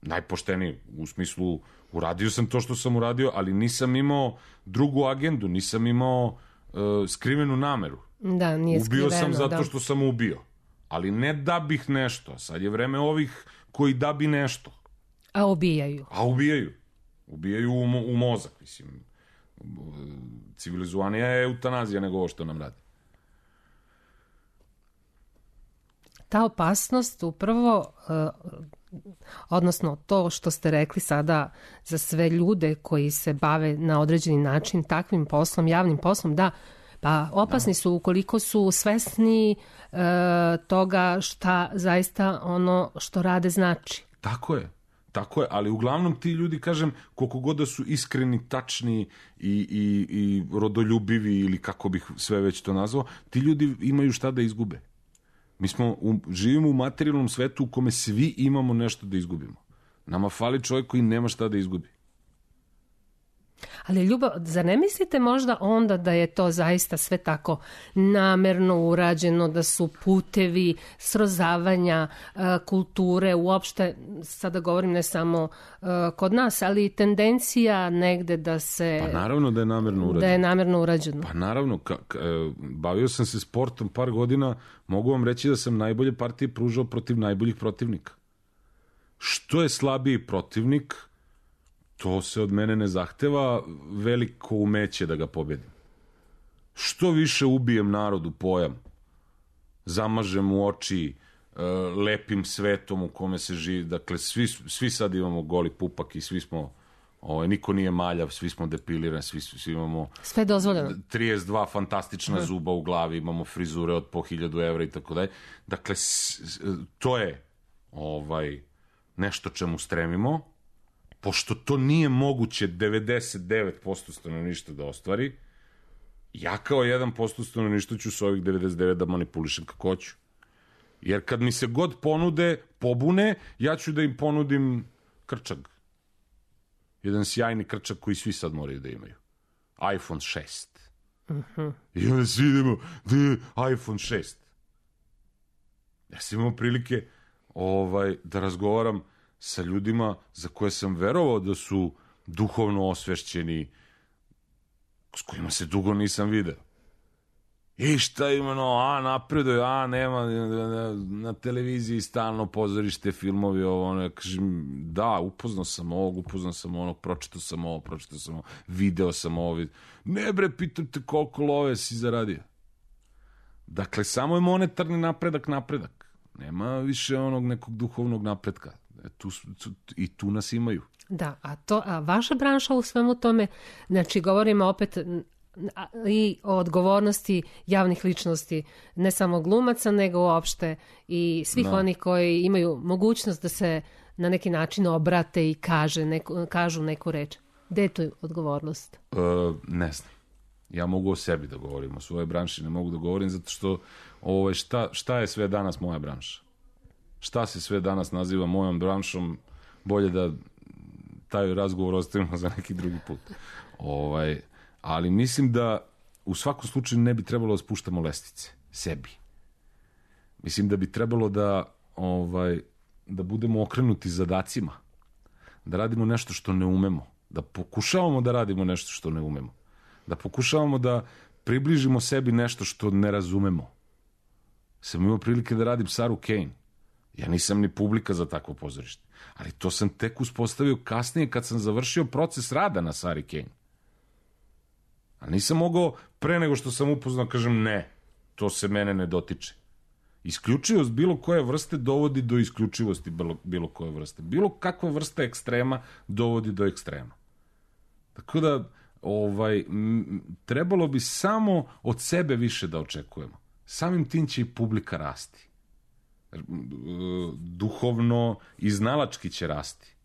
Najpošteniji, u smislu uradio sam to što sam uradio, ali nisam imao drugu agendu, nisam imao uh, skrivenu nameru. Da, nije skriveno. Ubio sam zato da. što sam ubio. Ali ne da bih nešto. Sad je vreme ovih koji da bi nešto. A ubijaju. A ubijaju. Ubijaju u, mo- u mozak. Mislim, civilizovanija je eutanazija nego ovo što nam radi. Ta opasnost upravo, odnosno to što ste rekli sada za sve ljude koji se bave na određeni način takvim poslom, javnim poslom, da, pa opasni su ukoliko su svesni e, toga šta zaista ono što rade znači. Tako je. Tako je, ali uglavnom ti ljudi, kažem, koliko god da su iskreni, tačni i, i, i rodoljubivi ili kako bih sve već to nazvao, ti ljudi imaju šta da izgube. Mi smo, u, živimo u materijalnom svetu u kome svi imamo nešto da izgubimo. Nama fali čovjek koji nema šta da izgubi. Ali Ljubav, zar ne mislite možda onda da je to zaista sve tako namerno urađeno, da su putevi srozavanja uh, kulture, uopšte, sada govorim ne samo uh, kod nas, ali i tendencija negde da se... Pa naravno da je namerno urađeno. Da je namerno urađeno. Pa naravno, ka, ka, bavio sam se sportom par godina, mogu vam reći da sam najbolje partije pružao protiv najboljih protivnika. Što je slabiji protivnik, to se od mene ne zahteva veliko umeće da ga pobedim. Što više ubijem narodu pojam, zamažem u oči, lepim svetom u kome se živi, dakle svi, svi sad imamo goli pupak i svi smo, ovaj, niko nije maljav, svi smo depilirani, svi, svi imamo sve dozvoljeno. trideset dva fantastična zuba u glavi, imamo frizure od po hiljadu evra i tako dalje. Dakle, to je ovaj, nešto čemu stremimo. Pošto to nije moguće devedeset devet posto stanovništva da ostvari, ja kao jedan posto stanovništva ću s ovih devedeset devet da manipulišem kako hoću. Jer kad mi se god ponude, pobune, ja ću da im ponudim krčag. Jedan sjajni krčag koji svi sad moraju da imaju. iPhone šest. Uh-huh. I onda svi idemo, da je iPhone šest. Ja sam imao prilike ovaj, da razgovaram sa ljudima za koje sam verovao da su duhovno osvešćeni, s kojima se dugo nisam video. I šta ima, no, a napreduje, a nema, na, na televiziji stalno pozorište, filmovi, ovo, ono, kažem, da, upoznao sam ovog, upoznao sam onog, pročitao sam ovo, pročitao sam ovo, video sam ovo, ne bre, pitam te koliko love si zaradio. Dakle, samo je monetarni napredak napredak. Nema više onog nekog duhovnog napretka. Tu, tu, i tu nas imaju. Da, a, to, a vaša branša u svemu tome, znači govorimo opet i o odgovornosti javnih ličnosti, ne samo glumaca, nego uopšte i svih da. Onih koji imaju mogućnost da se na neki način obrate i kaže neku, kažu neku reč. Gde je tu odgovornost? E, ne znam. Ja mogu o sebi da govorim, o svojoj branši ne mogu da govorim, zato što ovaj, šta, šta je sve danas moja branša? Šta se sve danas naziva mojom branšom, bolje da taj razgovor ostavimo za neki drugi put. Ovaj, ali mislim da u svakom slučaju ne bi trebalo da spuštamo lestvice sebi. Mislim da bi trebalo da, ovaj, da budemo okrenuti zadacima, da radimo nešto što ne umemo, da pokušavamo da radimo nešto što ne umemo, da pokušavamo da približimo sebi nešto što ne razumemo. Sam imao prilike da radim Saru Kane. Ja nisam ni publika za takvo pozorište. Ali to sam tek uspostavio kasnije kad sam završio proces rada na Sari Kane. A nisam mogao pre nego što sam upoznao, kažem ne, to se mene ne dotiče. Isključivost bilo koje vrste dovodi do isključivosti bilo, bilo koje vrste. Bilo kakva vrsta ekstrema dovodi do ekstrema. Tako da ovaj, m, trebalo bi samo od sebe više da očekujemo. Samim tim će i publika rasti. Duhovno i znalački će rasti.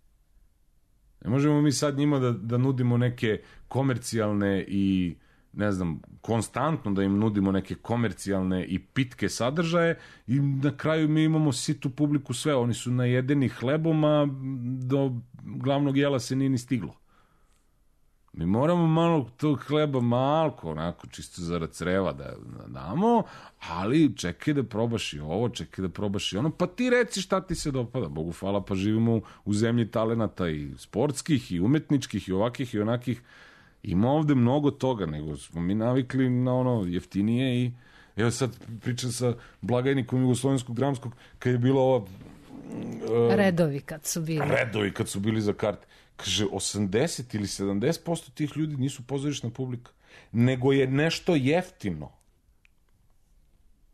Ne možemo mi sad njima da, da nudimo neke komercijalne i, ne znam, konstantno da im nudimo neke komercijalne i pitke sadržaje i na kraju mi imamo situ publiku sve. Oni su najedeni hlebom, a do glavnog jela se nije ni stiglo. Mi moramo malo tog hleba malko, onako, čisto zarad creva da, da damo, ali čekaj da probaš i ovo, čekaj da probaš i ono, pa ti reci šta ti se dopada. Bogu hvala, pa živimo u zemlji talenata i sportskih, i umetničkih, i ovakih, i onakih. Ima ovde mnogo toga, nego smo mi navikli na ono jeftinije i evo sad pričam sa blagajnikom Jugoslovenskog dramskog, kad je bilo ova... Uh, redovi kad su bili. Redovi kad su bili za karte. Kaže, osamdeset ili sedamdeset posto tih ljudi nisu pozorišna publika, nego je nešto jeftino.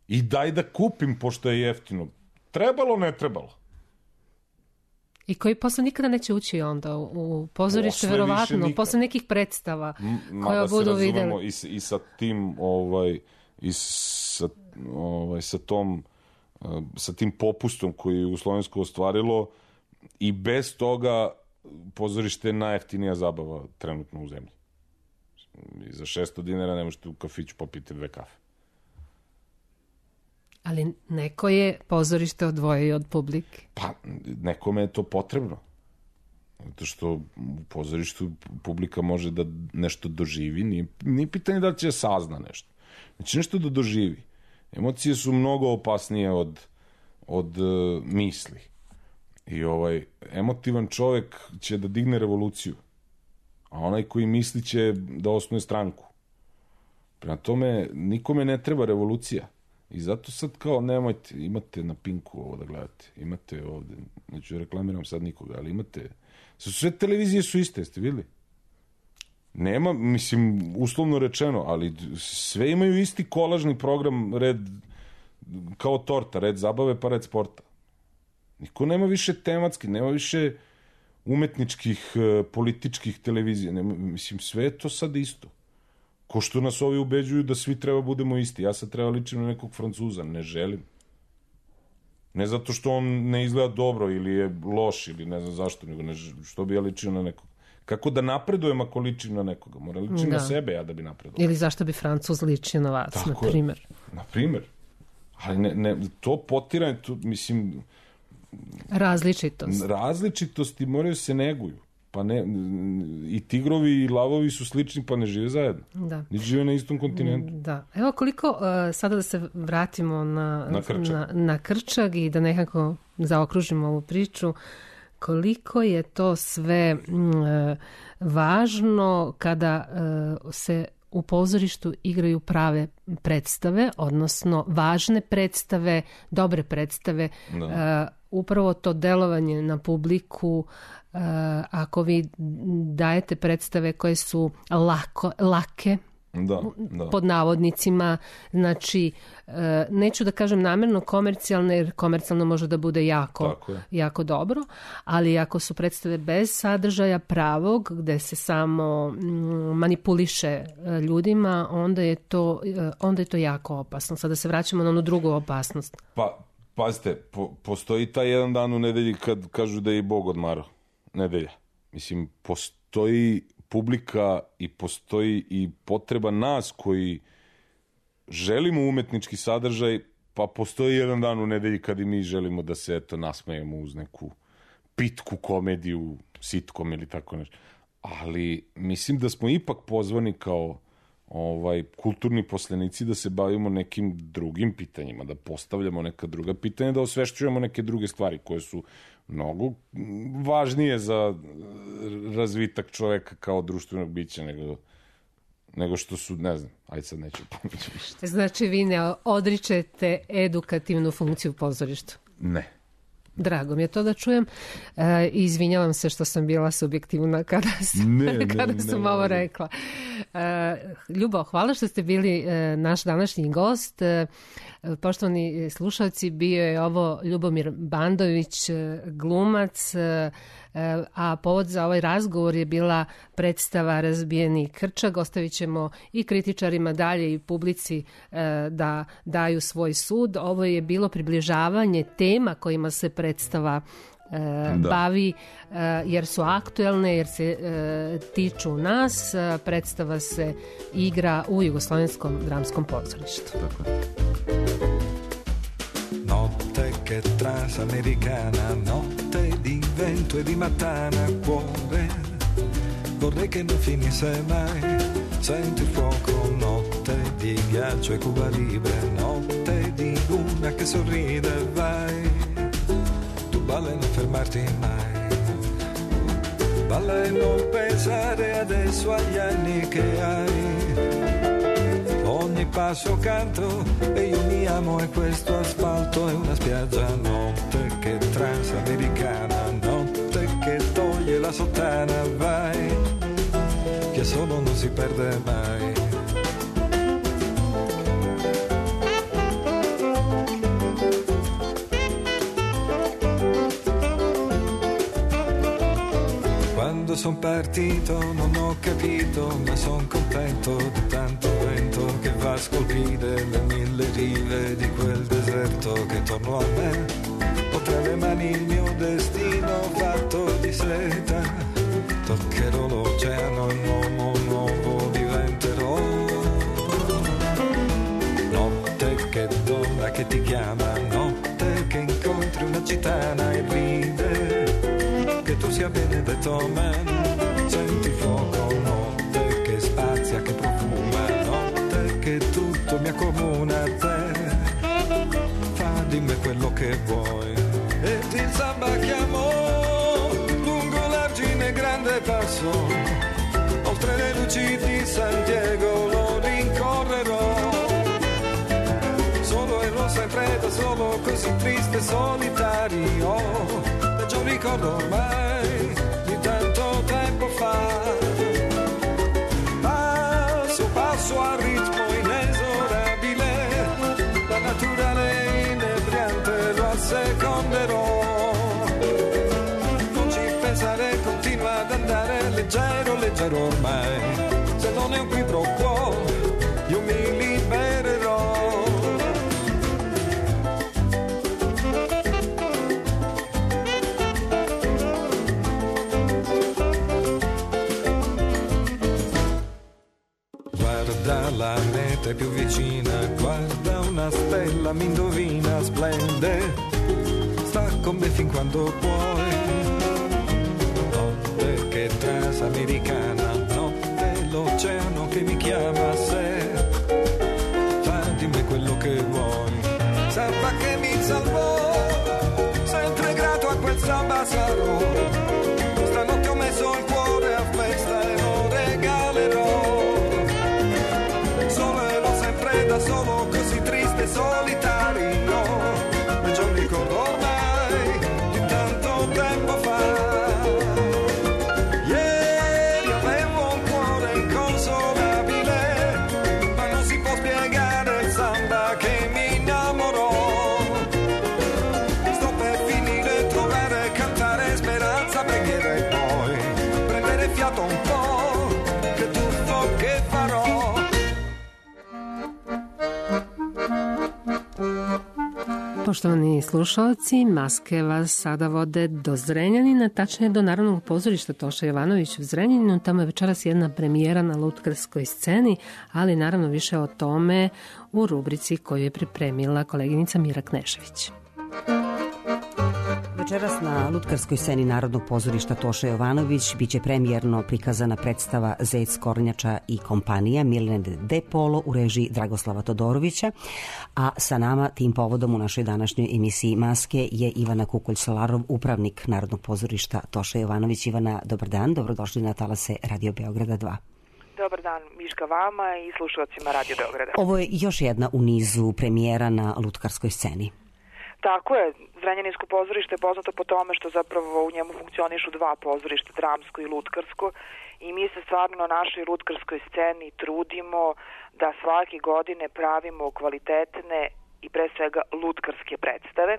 I daj da kupim, pošto je jeftino. Trebalo, ne trebalo. I koji posle nikada neće ući onda u pozorište, posle verovatno, posle nekih predstava M, koja budu videli. I, i sa tim, ovaj, i sa, ovaj, sa tom, sa tim popustom koji je u Slovensku ostvarilo, i bez toga pozorište je najjeftinija zabava trenutno u zemlji. I za šesto dinara ne možete u kafiću popiti dve kafe. Ali neko je pozorište odvojio od publike. Pa, nekome je to potrebno. Zato što u pozorištu publika može da nešto doživi. Nije, nije pitanje da će sazna nešto. Znači nešto da doživi. Emocije su mnogo opasnije od, od uh, misli. I ovaj emotivan čovjek će da digne revoluciju. A onaj koji misli će da osnuje stranku. Prema tome, nikome ne treba revolucija. I zato sad kao, nemojte, imate na Pinku ovo da gledate, imate ovde, neću reklamiram sad nikoga, ali imate, sve televizije su iste, jeste vidjeli? Nema, mislim, uslovno rečeno, ali sve imaju isti kolažni program, red, kao torta, red zabave pa red sporta. Niko nema više tematski, nema više umetničkih, političkih televizija, nema, mislim, sve je to sad isto. Ko što nas ovi ubeđuju da svi treba budemo isti. Ja sad treba ličiti na nekog Francuza. Ne želim. Ne zato što on ne izgleda dobro ili je loš ili ne znam zašto, nego ne, što bi ja ličio na nekog. Kako da napredujem ako ličim na nekoga? Mora ličim da. na sebe ja da bi napredovao. Ili zašto bi Francuz ličio na vas, tako na primjer. Na primjer. Ali ne, ne, to potiranje, to, mislim... Različitost. Različitosti moraju se neguju. Pa ne, i tigrovi i lavovi su slični, pa ne žive zajedno. Da. Ni žive na istom kontinentu. Da. Evo koliko, uh, sada da se vratimo na, na, Krčag. na, na Krčag i da nekako zaokružimo ovu priču, koliko je to sve uh, važno kada uh, se u pozorištu igraju prave predstave, odnosno važne predstave, dobre predstave, uh, upravo to delovanje na publiku. Uh, ako vi dajete predstave koje su lako, lake, da, da. pod navodnicima, znači uh, neću da kažem namjerno komercijalne, jer komercijalno može da bude jako, jako dobro, ali ako su predstave bez sadržaja pravog, gde se samo mm, manipuliše uh, ljudima, onda je, to, uh, onda je to jako opasno. Sada se vraćamo na onu drugu opasnost. Pa, pazite, po, postoji taj jedan dan u nedelji kad kažu da je i Bog odmarao. Nedelja. Mislim, postoji publika i postoji i potreba nas koji želimo umetnički sadržaj, pa postoji jedan dan u nedelji kad i mi želimo da se eto nasmejemo uz neku pitku komediju, sitkom ili tako nešto. Ali mislim da smo ipak pozvani kao ovaj kulturni poslenici da se bavimo nekim drugim pitanjima, da postavljamo neka druga pitanja, da osvešćujemo neke druge stvari koje su mnogo važnije za razvitak čoveka kao društvenog bića nego, nego što su, ne znam, ajde sad neću pomići ništa. Znači vi ne odričete edukativnu funkciju u pozorištu? Ne. Drago mi je to da čujem. E, izvinjavam se što sam bila subjektivna kada sam, ne, ne, kada sam ne, ovo ne. rekla. E, Ljubo, hvala što ste bili e, naš današnji gost. E, poštovani slušalci, bio je ovo Ljubomir Bandović, glumac, e, a povod za ovaj razgovor je bila predstava Razbijeni Krčag. Ostavit ćemo i kritičarima dalje i publici e, da daju svoj sud. Ovo je bilo približavanje tema kojima se predstava da. bavi, jer su aktuelne, jer se tiču nas. Predstava se igra u Jugoslovenskom dramskom pozorištu. Tako. Notte che transamericana, notte di vento e di matana, cuore, vorrei che non finisse mai. Senti il fuoco, notte di ghiaccio e Cuba Libre, notte di luna che sorride, vai. Tu balla e non fermarti mai, balla e non pensare adesso agli anni che hai. Ogni passo canto e io mi amo e questo asfalto è una spiaggia. Notte che transamericana, notte che toglie la sottana, vai, che solo non si perde mai. Quando son partito non ho capito, ma son contento di tanto vento che va a scolpire le mille rive di quel deserto che torno a me. Ho tra le mani il mio destino fatto di seta, toccherò l'oceano e un uomo nuovo diventerò. Notte che donna che ti chiama, notte che incontri una gitana e ride, che tu sia benedetto man. Senti il fuoco, notte che spazia, che profuma, notte che tutto mi accomuna a te. Fa di me quello che vuoi ed il samba chiamò lungo l'argine grande passo, oltre le luci di San Diego lo rincorrerò. Solo e rosa e fredda, solo così triste e solitario, peggio ricordo ormai di tanto tempo fa. Passo passo al ritmo inesorabile, la naturale inebriante lo asseconderò. Non ci pensare, continua ad andare leggero, leggero ormai. Se non è un qui pro quo, io mi libererò. Guarda la meta più vicina, guarda una stella, mi indovina, splende, sta con me fin quando puoi. Notte che transamericana, notte l'oceano che mi chiama a sé, fa di me quello che vuoi. Samba che mi salvò, sempre grato a quel samba sarò. Stanotte ho messo il cuore a festa e lo regalerò. Da solo così triste e solitario, ma già mi ricordo ormai di tanto tempo fa. Ieri avevo un cuore inconsolabile, ma non si può spiegare il samba che mi innamorò. Sto per finire, trovare, cantare speranza, preghiera e poi prendere fiato un po', che tuffo che farò. Poštovani slušalci, maske vas sada vode do Zrenjanina, tačnije do Narodnog pozorišta Toša Jovanović u Zrenjaninu. Tamo je večeras jedna premijera na lutkarskoj sceni, ali naravno više o tome u rubrici koju je pripremila koleginica Mira Knešević. Večeras na lutkarskoj sceni Narodnog pozorišta Toša Jovanović biće premijerno prikazana predstava Zec, Kornjača i kompanija Milene De Polo u režiji Dragoslava Todorovića, a sa nama tim povodom u našoj današnjoj emisiji Maske je Ivana Kukolj-Solarov, upravnik Narodnog pozorišta Toša Jovanović. Ivana, dobar dan, dobrodošli na talase Radio Beograda dva. Dobar dan, Miška, vama i slušalcima Radio Beograda. Ovo je još jedna u nizu premijera na lutkarskoj sceni. Tako je, Zrenjaninsko pozorište je poznato po tome što zapravo u njemu funkcionišu dva pozorišta, dramsko i lutkarsko, i mi se stvarno na našoj lutkarskoj sceni trudimo da svake godine pravimo kvalitetne i pre svega lutkarske predstave.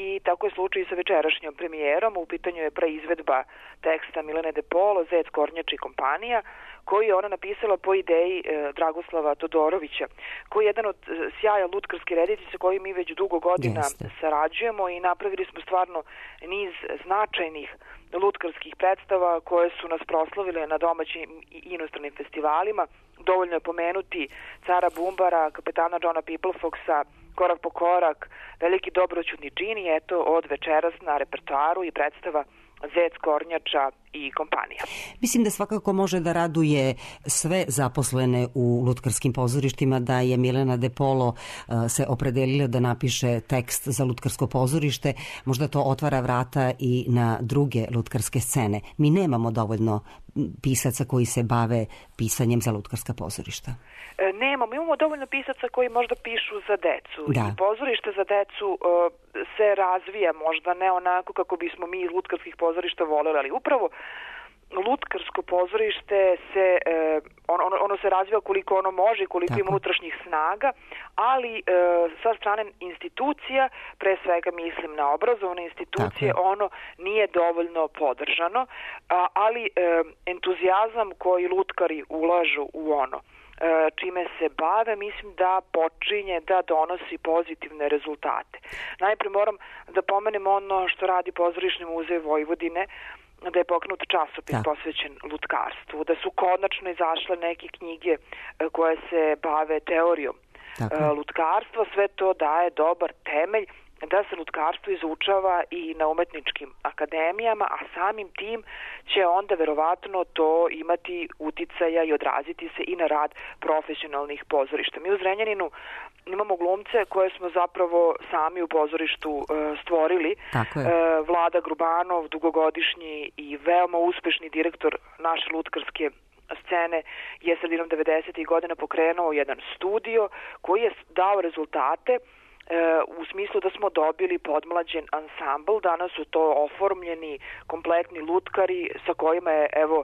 i tako je slučaj i sa večerašnjom premijerom. U pitanju je preizvedba teksta Milene De Polo, Zec, Kornjača i kompanija, koji je ona napisala po ideji e, Dragoslava Todorovića, koji je jedan od e, sjaja lutkarske rediteljice sa kojim mi već dugo godina Jeste. sarađujemo i napravili smo stvarno niz značajnih lutkarskih predstava koje su nas proslavile na domaćim i inostranim festivalima. Dovoljno je pomenuti Cara Bumbara, kapetana Johna Peoplefoxa, Korak po korak, Veliki dobroćudni džini, eto od večeras na repertoaru i predstava Zec, Kornjača i kompanija. Mislim da svakako može da raduje sve zaposlene u lutkarskim pozorištima da je Milena De Polo uh, se opredelila da napiše tekst za lutkarsko pozorište. Možda to otvara vrata i na druge lutkarske scene. Mi nemamo dovoljno pisaca koji se bave pisanjem za lutkarska pozorišta. E, nemamo, imamo dovoljno pisaca koji možda pišu za decu. Da. I pozorište za decu uh, se razvija, možda ne onako kako bismo mi iz lutkarskih pozorišta voleli, ali upravo lutkarsko pozorište se eh, ono, ono se razvija koliko ono može, koliko Tako. ima unutrašnjih snaga, ali eh, sa strane institucija, pre svega mislim na obrazovne institucije, Tako. ono nije dovoljno podržano, a, ali eh, entuzijazam koji lutkari ulažu u ono čime se bave, mislim da počinje da donosi pozitivne rezultate. Najprije moram da pomenem ono što radi Pozorišni muzej Vojvodine, da je pokrenut časopis da. posvećen lutkarstvu, da su konačno izašle neke knjige koje se bave teorijom Tako. lutkarstva, sve to daje dobar temelj da se lutkarstvo izučava i na umetničkim akademijama, a samim tim će onda verovatno to imati uticaja i odraziti se i na rad profesionalnih pozorišta. Mi u Zrenjaninu imamo glumce koje smo zapravo sami u pozorištu uh, stvorili. Tako je. Uh, Vlada Grubanov, dugogodišnji i veoma uspešni direktor naše lutkarske scene, je sredinom devedesetih godina pokrenuo jedan studio koji je dao rezultate u smislu da smo dobili podmlađen ansambl. Danas su to oformljeni kompletni lutkari sa kojima je evo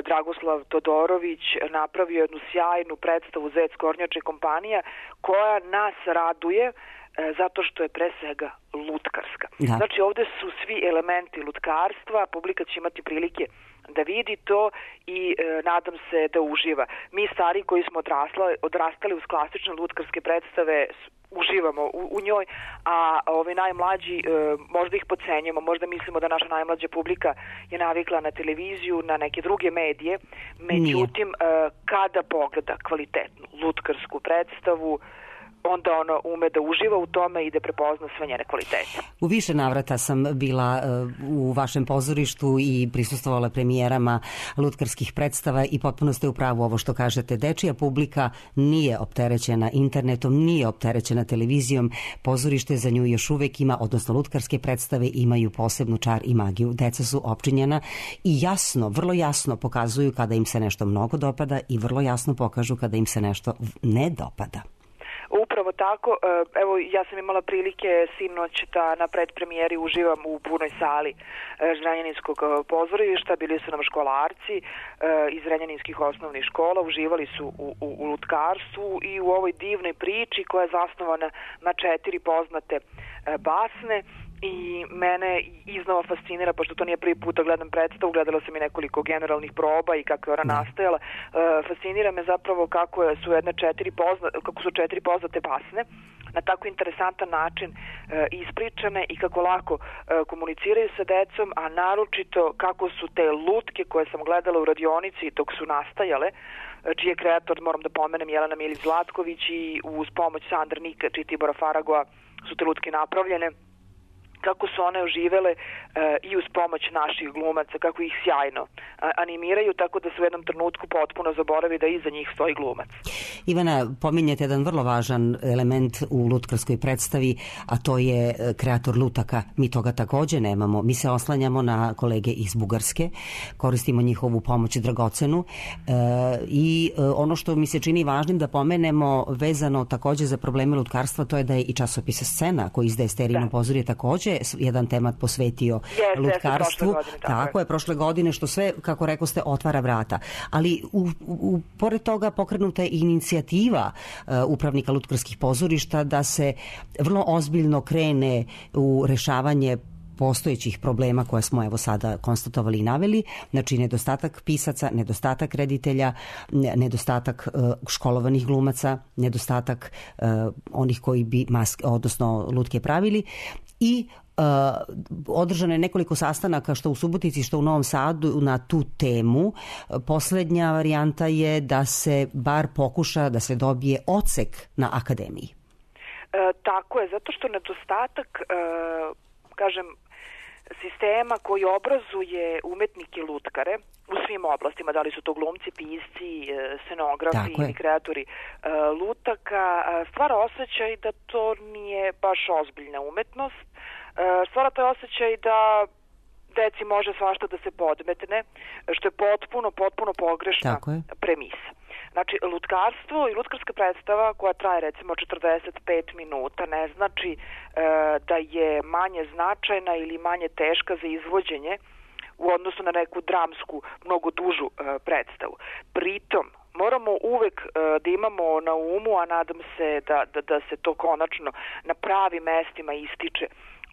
Dragoslav Todorović napravio jednu sjajnu predstavu Zec, Kornjača i kompanija koja nas raduje zato što je pre svega lutkarska. Da. Znači ovde su svi elementi lutkarstva, publika će imati prilike da vidi to i e, nadam se da uživa. Mi stari koji smo odrasla, odrastali uz klasične lutkarske predstave uživamo u, u njoj, a ovi najmlađi e, možda ih podcenjujemo, možda mislimo da naša najmlađa publika je navikla na televiziju, na neke druge medije, međutim e, kada pogleda kvalitetnu lutkarsku predstavu, onda ono ume da uživa u tome i da prepozna sve njene kvalitete. U više navrata sam bila u vašem pozorištu i prisustvovala premijerama lutkarskih predstava i potpuno ste u pravu ovo što kažete. Dečija publika nije opterećena internetom, nije opterećena televizijom. Pozorište za nju još uvek ima, odnosno lutkarske predstave imaju posebnu čar i magiju. Deca su opčinjena i jasno, vrlo jasno pokazuju kada im se nešto mnogo dopada i vrlo jasno pokažu kada im se nešto ne dopada. Upravo tako, evo ja sam imala prilike sinoć da na predpremijeri uživam u punoj sali Zrenjaninskog pozorišta, bili su nam školarci iz zrenjaninskih osnovnih škola, uživali su u, u, u lutkarstvu i u ovoj divnoj priči koja je zasnovana na četiri poznate basne. I mene iznova fascinira, pošto to nije prvi put da gledam predstavu, gledala sam i nekoliko generalnih proba i kako je ona nastajala. Uh, fascinira me zapravo kako su jedne četiri pozna, kako su četiri poznate basne na tako interesantan način uh, ispričane i kako lako uh, komuniciraju sa decom, a naročito kako su te lutke koje sam gledala u radionici dok su nastajale, čiji je kreator, moram da pomenem, Jelena Milić Zlatković, i uz pomoć Sandra Nika i Tibora Faragoa su te lutke napravljene, kako su one oživele e, i uz pomoć naših glumaca, kako ih sjajno a, animiraju, tako da se u jednom trenutku potpuno zaboravi da iza njih stoji glumac. Ivana, pominjete jedan vrlo važan element u lutkarskoj predstavi, a to je kreator lutaka. Mi toga takođe nemamo. Mi se oslanjamo na kolege iz Bugarske, koristimo njihovu pomoć dragocenu e, i e, ono što mi se čini važnim da pomenemo vezano takođe za probleme lutkarstva, to je da je i časopis Scena koji izdaje Sterijino pozorje takođe jedan temat posvetio Jeste, lutkarstvu. Godine, tako, tako je, prošle godine, što sve, kako rekao ste, otvara vrata. Ali u, u, pored toga pokrenuta je inicijativa uh, upravnika lutkarskih pozorišta da se vrlo ozbiljno krene u rešavanje postojećih problema koje smo evo sada konstatovali i naveli, znači nedostatak pisaca, nedostatak reditelja, nedostatak uh, školovanih glumaca, nedostatak uh, onih koji bi maske, odnosno lutke pravili i Uh, održano je nekoliko sastanaka što u Subotici, što u Novom Sadu na tu temu. Poslednja varijanta je da se bar pokuša da se dobije odsek na akademiji. E, tako je, zato što nedostatak, e, kažem, sistema koji obrazuje umetnike lutkare u svim oblastima, da li su to glumci, pisci, scenografi ili kreatori e, lutaka, stvara osjećaj da to nije baš ozbiljna umetnost. Stvara taj osjećaj da deci može svašta da se podmetne, što je potpuno, potpuno pogrešna premisa. Znači, lutkarstvo i lutkarska predstava koja traje recimo četrdeset pet minuta ne znači e, da je manje značajna ili manje teška za izvođenje u odnosu na neku dramsku, mnogo dužu e, predstavu. Pritom, moramo uvek e, da imamo na umu, a nadam se da, da, da se to konačno na pravim mestima ističe,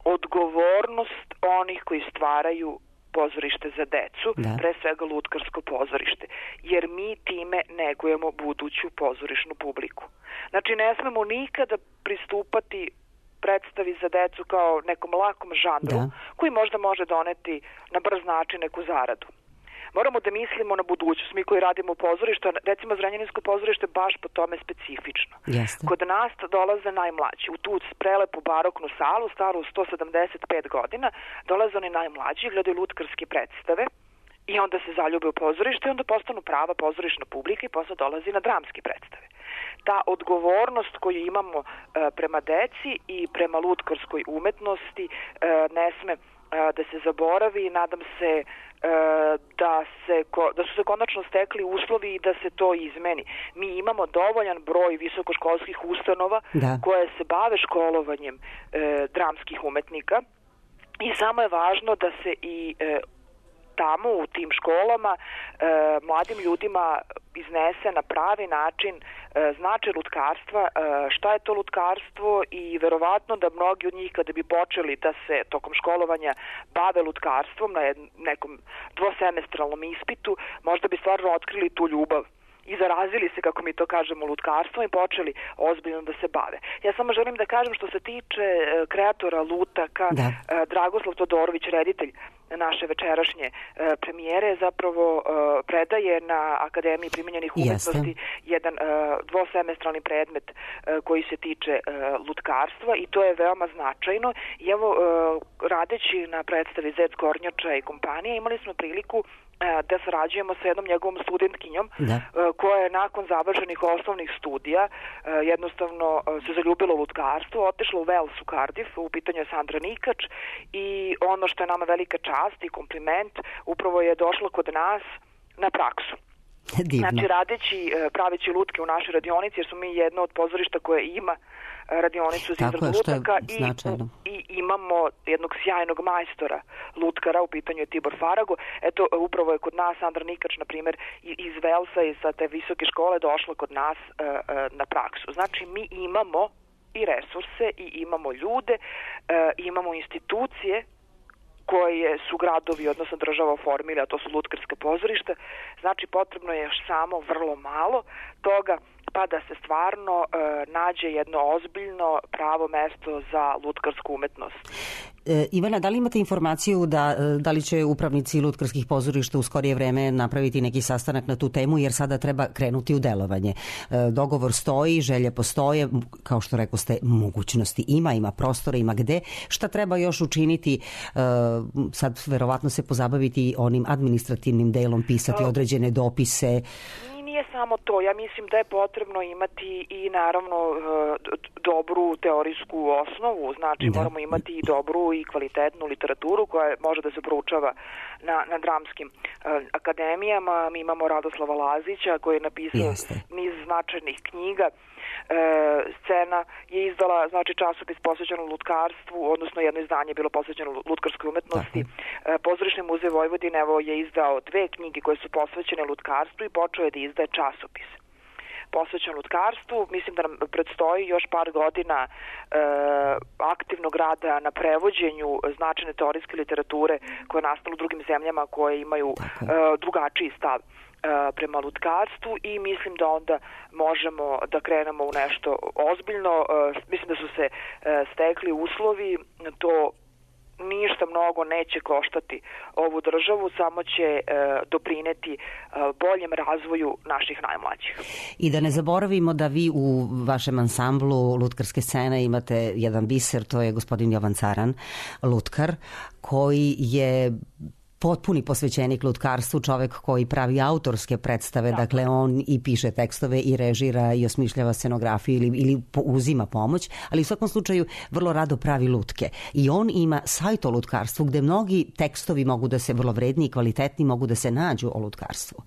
odgovornost onih koji stvaraju pozorište za decu, da. Pre svega lutkarsko pozorište, jer mi time negujemo buduću pozorišnu publiku. Znači, ne smemo nikada pristupati predstavi za decu kao nekom lakom žanru, da. Koji možda može doneti na brz način neku zaradu. Moramo da mislimo na budućnost. Mi koji radimo u pozorištu, recimo Zrenjaninsko pozorište baš po tome specifično. Jeste. Kod nas dolaze najmlađi. U tu prelepu baroknu salu, staru sto sedamdeset pet godina, dolaze oni najmlađi, gledaju lutkarske predstave i onda se zaljube u pozorište i onda postanu prava pozorišna publika i posle dolazi na dramske predstave. Ta odgovornost koju imamo e, prema deci i prema lutkarskoj umetnosti e, ne sme e, da se zaboravi. Nadam se Da, se, da su se konačno stekli uslovi i da se to izmeni. Mi imamo dovoljan broj visokoškolskih ustanova da. Koje se bave školovanjem e, dramskih umetnika i samo je važno da se i e, tamo u tim školama e, mladim ljudima iznese na pravi način e, značaj lutkarstva, e, šta je to lutkarstvo i verovatno da mnogi od njih kada bi počeli da se tokom školovanja bave lutkarstvom na nekom dvosemestralnom ispitu, možda bi stvarno otkrili tu ljubav i zarazili se, kako mi to kažemo, lutkarstvom i počeli ozbiljno da se bave. Ja samo želim da kažem što se tiče e, kreatora lutaka, da. e, Dragoslav Todorović, reditelj naše večerašnje e, premijere, zapravo e, predaje na Akademiji primenjenih umetnosti jedan e, dvosemestralni predmet e, koji se tiče e, lutkarstva i to je veoma značajno. I evo, e, radeći na predstavi Zec Kornjača i kompanija, imali smo priliku da sarađujemo sa jednom njegovom studentkinjom da. Koja je nakon završenih osnovnih studija jednostavno se zaljubila u lutkarstvo, otišla u Wales u Cardiff, u pitanju je Sandra Nikač i ono što je nama velika čast i kompliment, upravo je došla kod nas na praksu. Divno. Znači, radeći, praveći lutke u našoj radionici, jer smo mi jedno od pozorišta koje ima radionicu za izradu lutaka i, i imamo jednog sjajnog majstora lutkara, u pitanju je Tibor Farago. Eto, upravo je kod nas Sandra Nikač, na primjer, iz Velsa i sa te visoke škole došla kod nas uh, uh, na praksu. Znači, mi imamo i resurse i imamo ljude, uh, imamo institucije koje su gradovi, odnosno država oformili, a to su lutkarske pozorišta. Znači, potrebno je još samo vrlo malo toga pa da se stvarno e, nađe jedno ozbiljno pravo mesto za lutkarsku umetnost. E, Ivana, da li imate informaciju da, da li će upravnici lutkarskih pozorišta u skorije vreme napraviti neki sastanak na tu temu, jer sada treba krenuti u delovanje? E, dogovor stoji, želje postoje, kao što rekao ste, mogućnosti ima, ima prostora, ima gde. Šta treba još učiniti? E, sad verovatno se pozabaviti onim administrativnim delom, pisati određene dopise. Nije samo to, ja mislim da je potrebno imati i naravno dobru teorijsku osnovu, znači da. Moramo imati i dobru i kvalitetnu literaturu koja može da se proučava na, na dramskim uh, akademijama. Mi imamo Radoslava Lazića koji je napisao Jeste. niz značajnih knjiga. Scena je izdala znači časopis posvećen lutkarstvu, odnosno jedno izdanje je bilo posvećeno lutkarskoj umetnosti. E, Pozorišni muzej Vojvodine evo je izdao dve knjige koje su posvećene lutkarstvu i počeo je da izdaje časopis posvećen lutkarstvu. Mislim da nam predstoji još par godina e, aktivnog rada na prevođenju značajne teorijske literature koja je nastala u drugim zemljama koje imaju e, drugačiji stav e, prema lutkarstvu i mislim da onda možemo da krenemo u nešto ozbiljno. E, mislim da su se e, stekli uslovi, to ništa mnogo neće koštati ovu državu, samo će e, doprineti e, boljem razvoju naših najmlađih. I da ne zaboravimo da vi u vašem ansamblu lutkarske scene imate jedan biser, to je gospodin Jovan Caran, lutkar, koji je potpuni posvećenik lutkarstvu, čovek koji pravi autorske predstave, da. Dakle on i piše tekstove i režira i osmišljava scenografiju ili, ili uzima pomoć, ali u svakom slučaju vrlo rado pravi lutke. I on ima sajt o lutkarstvu gde mnogi tekstovi mogu da se, vrlo vredni i kvalitetni, mogu da se nađu o lutkarstvu.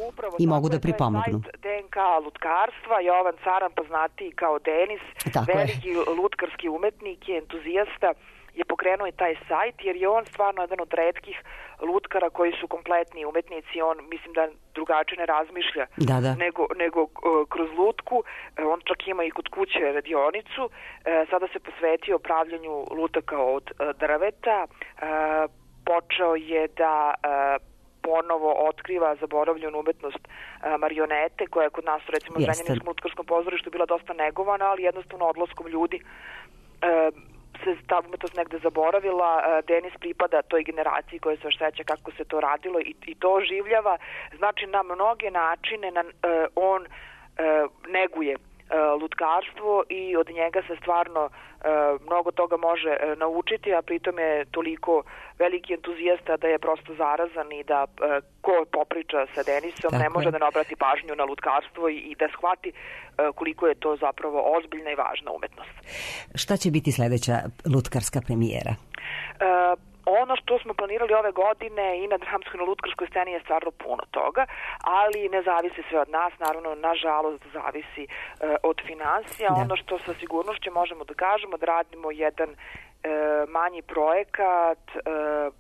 Upravo i mogu da pripomognu. Sajt D N K lutkarstva, Jovan Caran, poznatiji kao Denis, tako veliki je. Lutkarski umetnik i entuzijasta, je pokrenuo i taj sajt jer je on stvarno jedan od retkih lutkara koji su kompletni umetnici. On mislim da drugačije ne razmišlja da, da. nego, nego uh, kroz lutku. Uh, on čak ima i kod kuće radionicu. Uh, sada se posvetio pravljenju lutaka od uh, drveta. Uh, počeo je da uh, ponovo otkriva zaboravljenu umetnost uh, marionete koja je kod nas recimo u Zrenjaninskom lutkarskom pozorištu bila dosta negovana, ali jednostavno odlaskom ljudi uh, se ta umetnost negde zaboravila. Denis pripada toj generaciji koja se još seća kako se to radilo i, i to oživljava. Znači na mnoge načine na, uh, on uh, neguje uh, lutkarstvo i od njega se stvarno uh, mnogo toga može uh, naučiti, a pritom je toliko veliki entuzijasta da je prosto zarazan i da uh, ko popriča sa Denisom tako ne može je. Da ne obrati pažnju na lutkarstvo i, i da shvati uh, koliko je to zapravo ozbiljna i važna umetnost. Šta će biti sledeća lutkarska premijera? Uh, Ono što smo planirali ove godine i na dramskoj i na lutkarskoj sceni je stvarno puno toga, ali ne zavisi sve od nas, naravno, nažalost, zavisi uh, od finansija. Da. Ono što sa sigurnošću možemo da kažemo da radimo jedan uh, manji projekat, uh,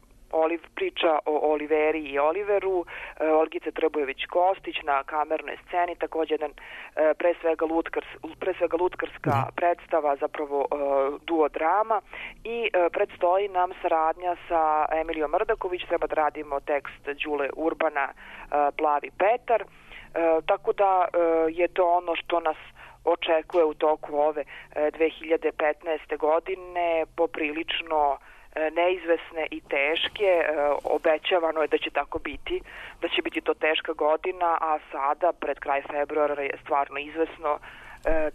Oliv, priča o Oliveri i Oliveru, uh, Olgice Trbojević-Kostić na kamernoj sceni, također jedan uh, pre, svega lutkars, pre svega lutkarska da. predstava, zapravo uh, duo drama i uh, predstoji nam saradnja sa Emilijom Mrdaković, treba da radimo tekst Đule Urbana, uh, Plavi Petar, uh, tako da uh, je to ono što nas očekuje u toku ove uh, dve hiljade petnaeste godine, poprilično neizvesne i teške. Obećavano je da će tako biti, da će biti to teška godina, a sada pred kraj februara je stvarno izvesno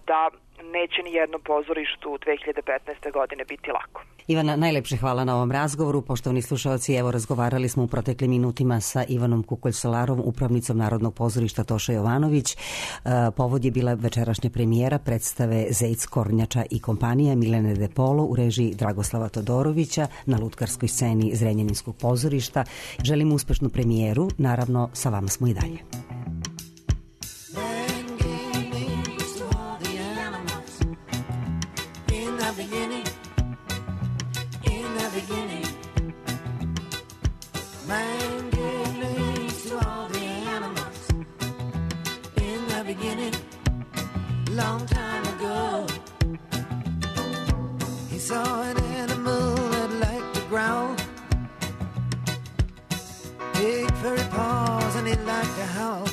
da neće ni jednom pozorištu dve hiljade petnaeste godine biti lako. Ivana, najlepše hvala na ovom razgovoru. Poštovani slušalci, evo razgovarali smo u proteklim minutima sa Ivanom Kukolj-Solarom, upravnicom Narodnog pozorišta Toša Jovanović. Povod je bila večerašnja premijera predstave Zec, Kornjača i kompanija Milene De Polo u režiji Dragoslava Todorovića na lutkarskoj sceni Zrenjaninskog pozorišta. Želim uspešnu premijeru, naravno sa vama smo i dalje. Beginning, in the beginning, man gave names to all the animals. In the beginning, long time ago, he saw an animal that liked to growl, big furry paws and he liked to howl,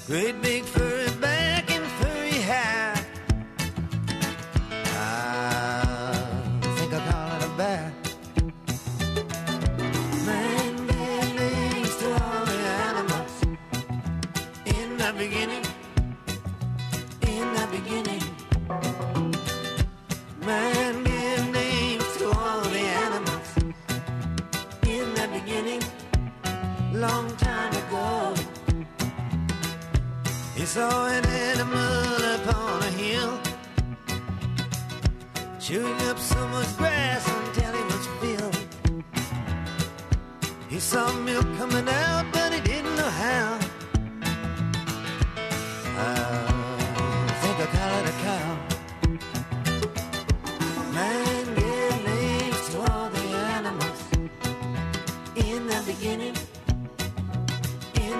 great big furry back and furry hair. Beginning, in the beginning, man gave names to all the animals. In the beginning, long time ago, he saw an animal upon a hill, chewing up so much grass until he was filled. He saw milk coming out, but he didn't know how. Uh,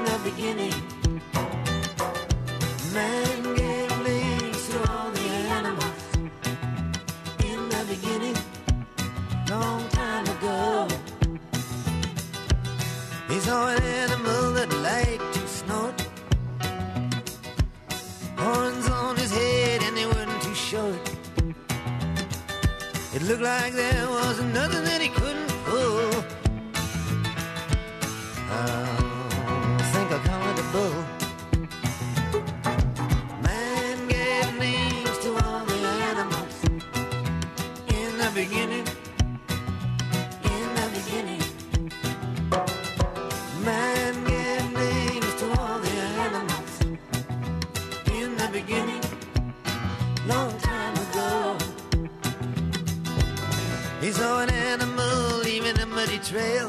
the beginning, man gave names to all the animals. In the beginning, long time ago, he saw an animal that liked to snort, horns on his head and they weren't too short. It looked like there was nothing that he couldn't pull. I think I'll call it a bull. Man gave names to all the animals. In the beginning, in the beginning, man gave names to all the animals. In the beginning, long time ago, he saw an animal leaving a muddy trail,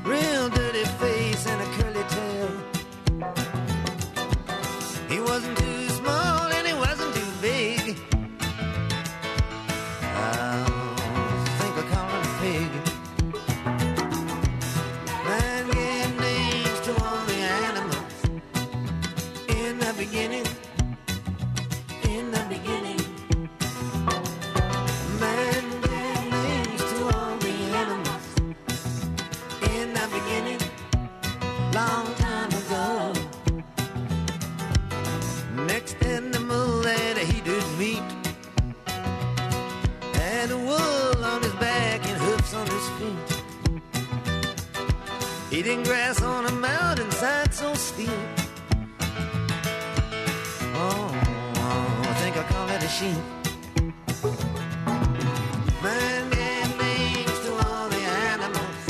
real dirty face and a curly tail. He wasn't too small and he wasn't too big. I think I call him a pig. Man gave names to all the animals. In the beginning, in the beginning, man gave names to all the animals. In the beginning, long time ago. Next animal that he did meet had wool on his back and hoofs on his feet, eating grass on a mountainside so steep. Oh, I think I call it a sheep. Man gave names to all the animals.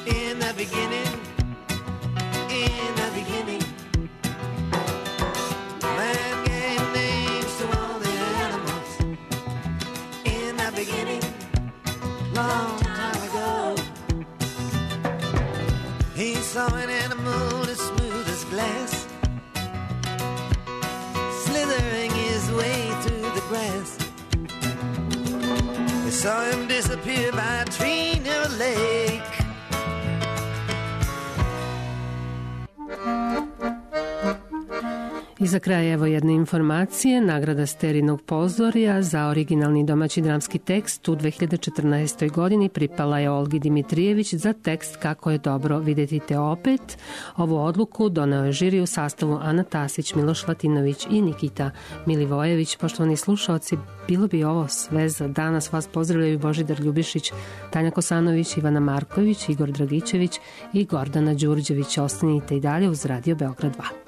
In the beginning, in the beginning, man gave names to all the animals. In the beginning, long time ago, he saw an animal as smooth as glass, slithering his way through the grass. They saw him disappear by a tree near a lake. I za kraj evo jedne informacije. Nagrada Sterinog pozorja za originalni domaći dramski tekst u dve hiljade četrnaestoj. godini pripala je Olgi Dimitrijević za tekst Kako je dobro vidjeti te opet. Ovu odluku doneo je žiri u sastavu Ana Tasić, Miloš Latinović i Nikita Milivojević. Poštovani slušaoci, bilo bi ovo sve za danas. Vas pozdravljaju Božidar Ljubišić, Tanja Kosanović, Ivana Marković, Igor Dragičević i Gordana Đurđević. Ostanite i dalje uz Radio Beograd dva.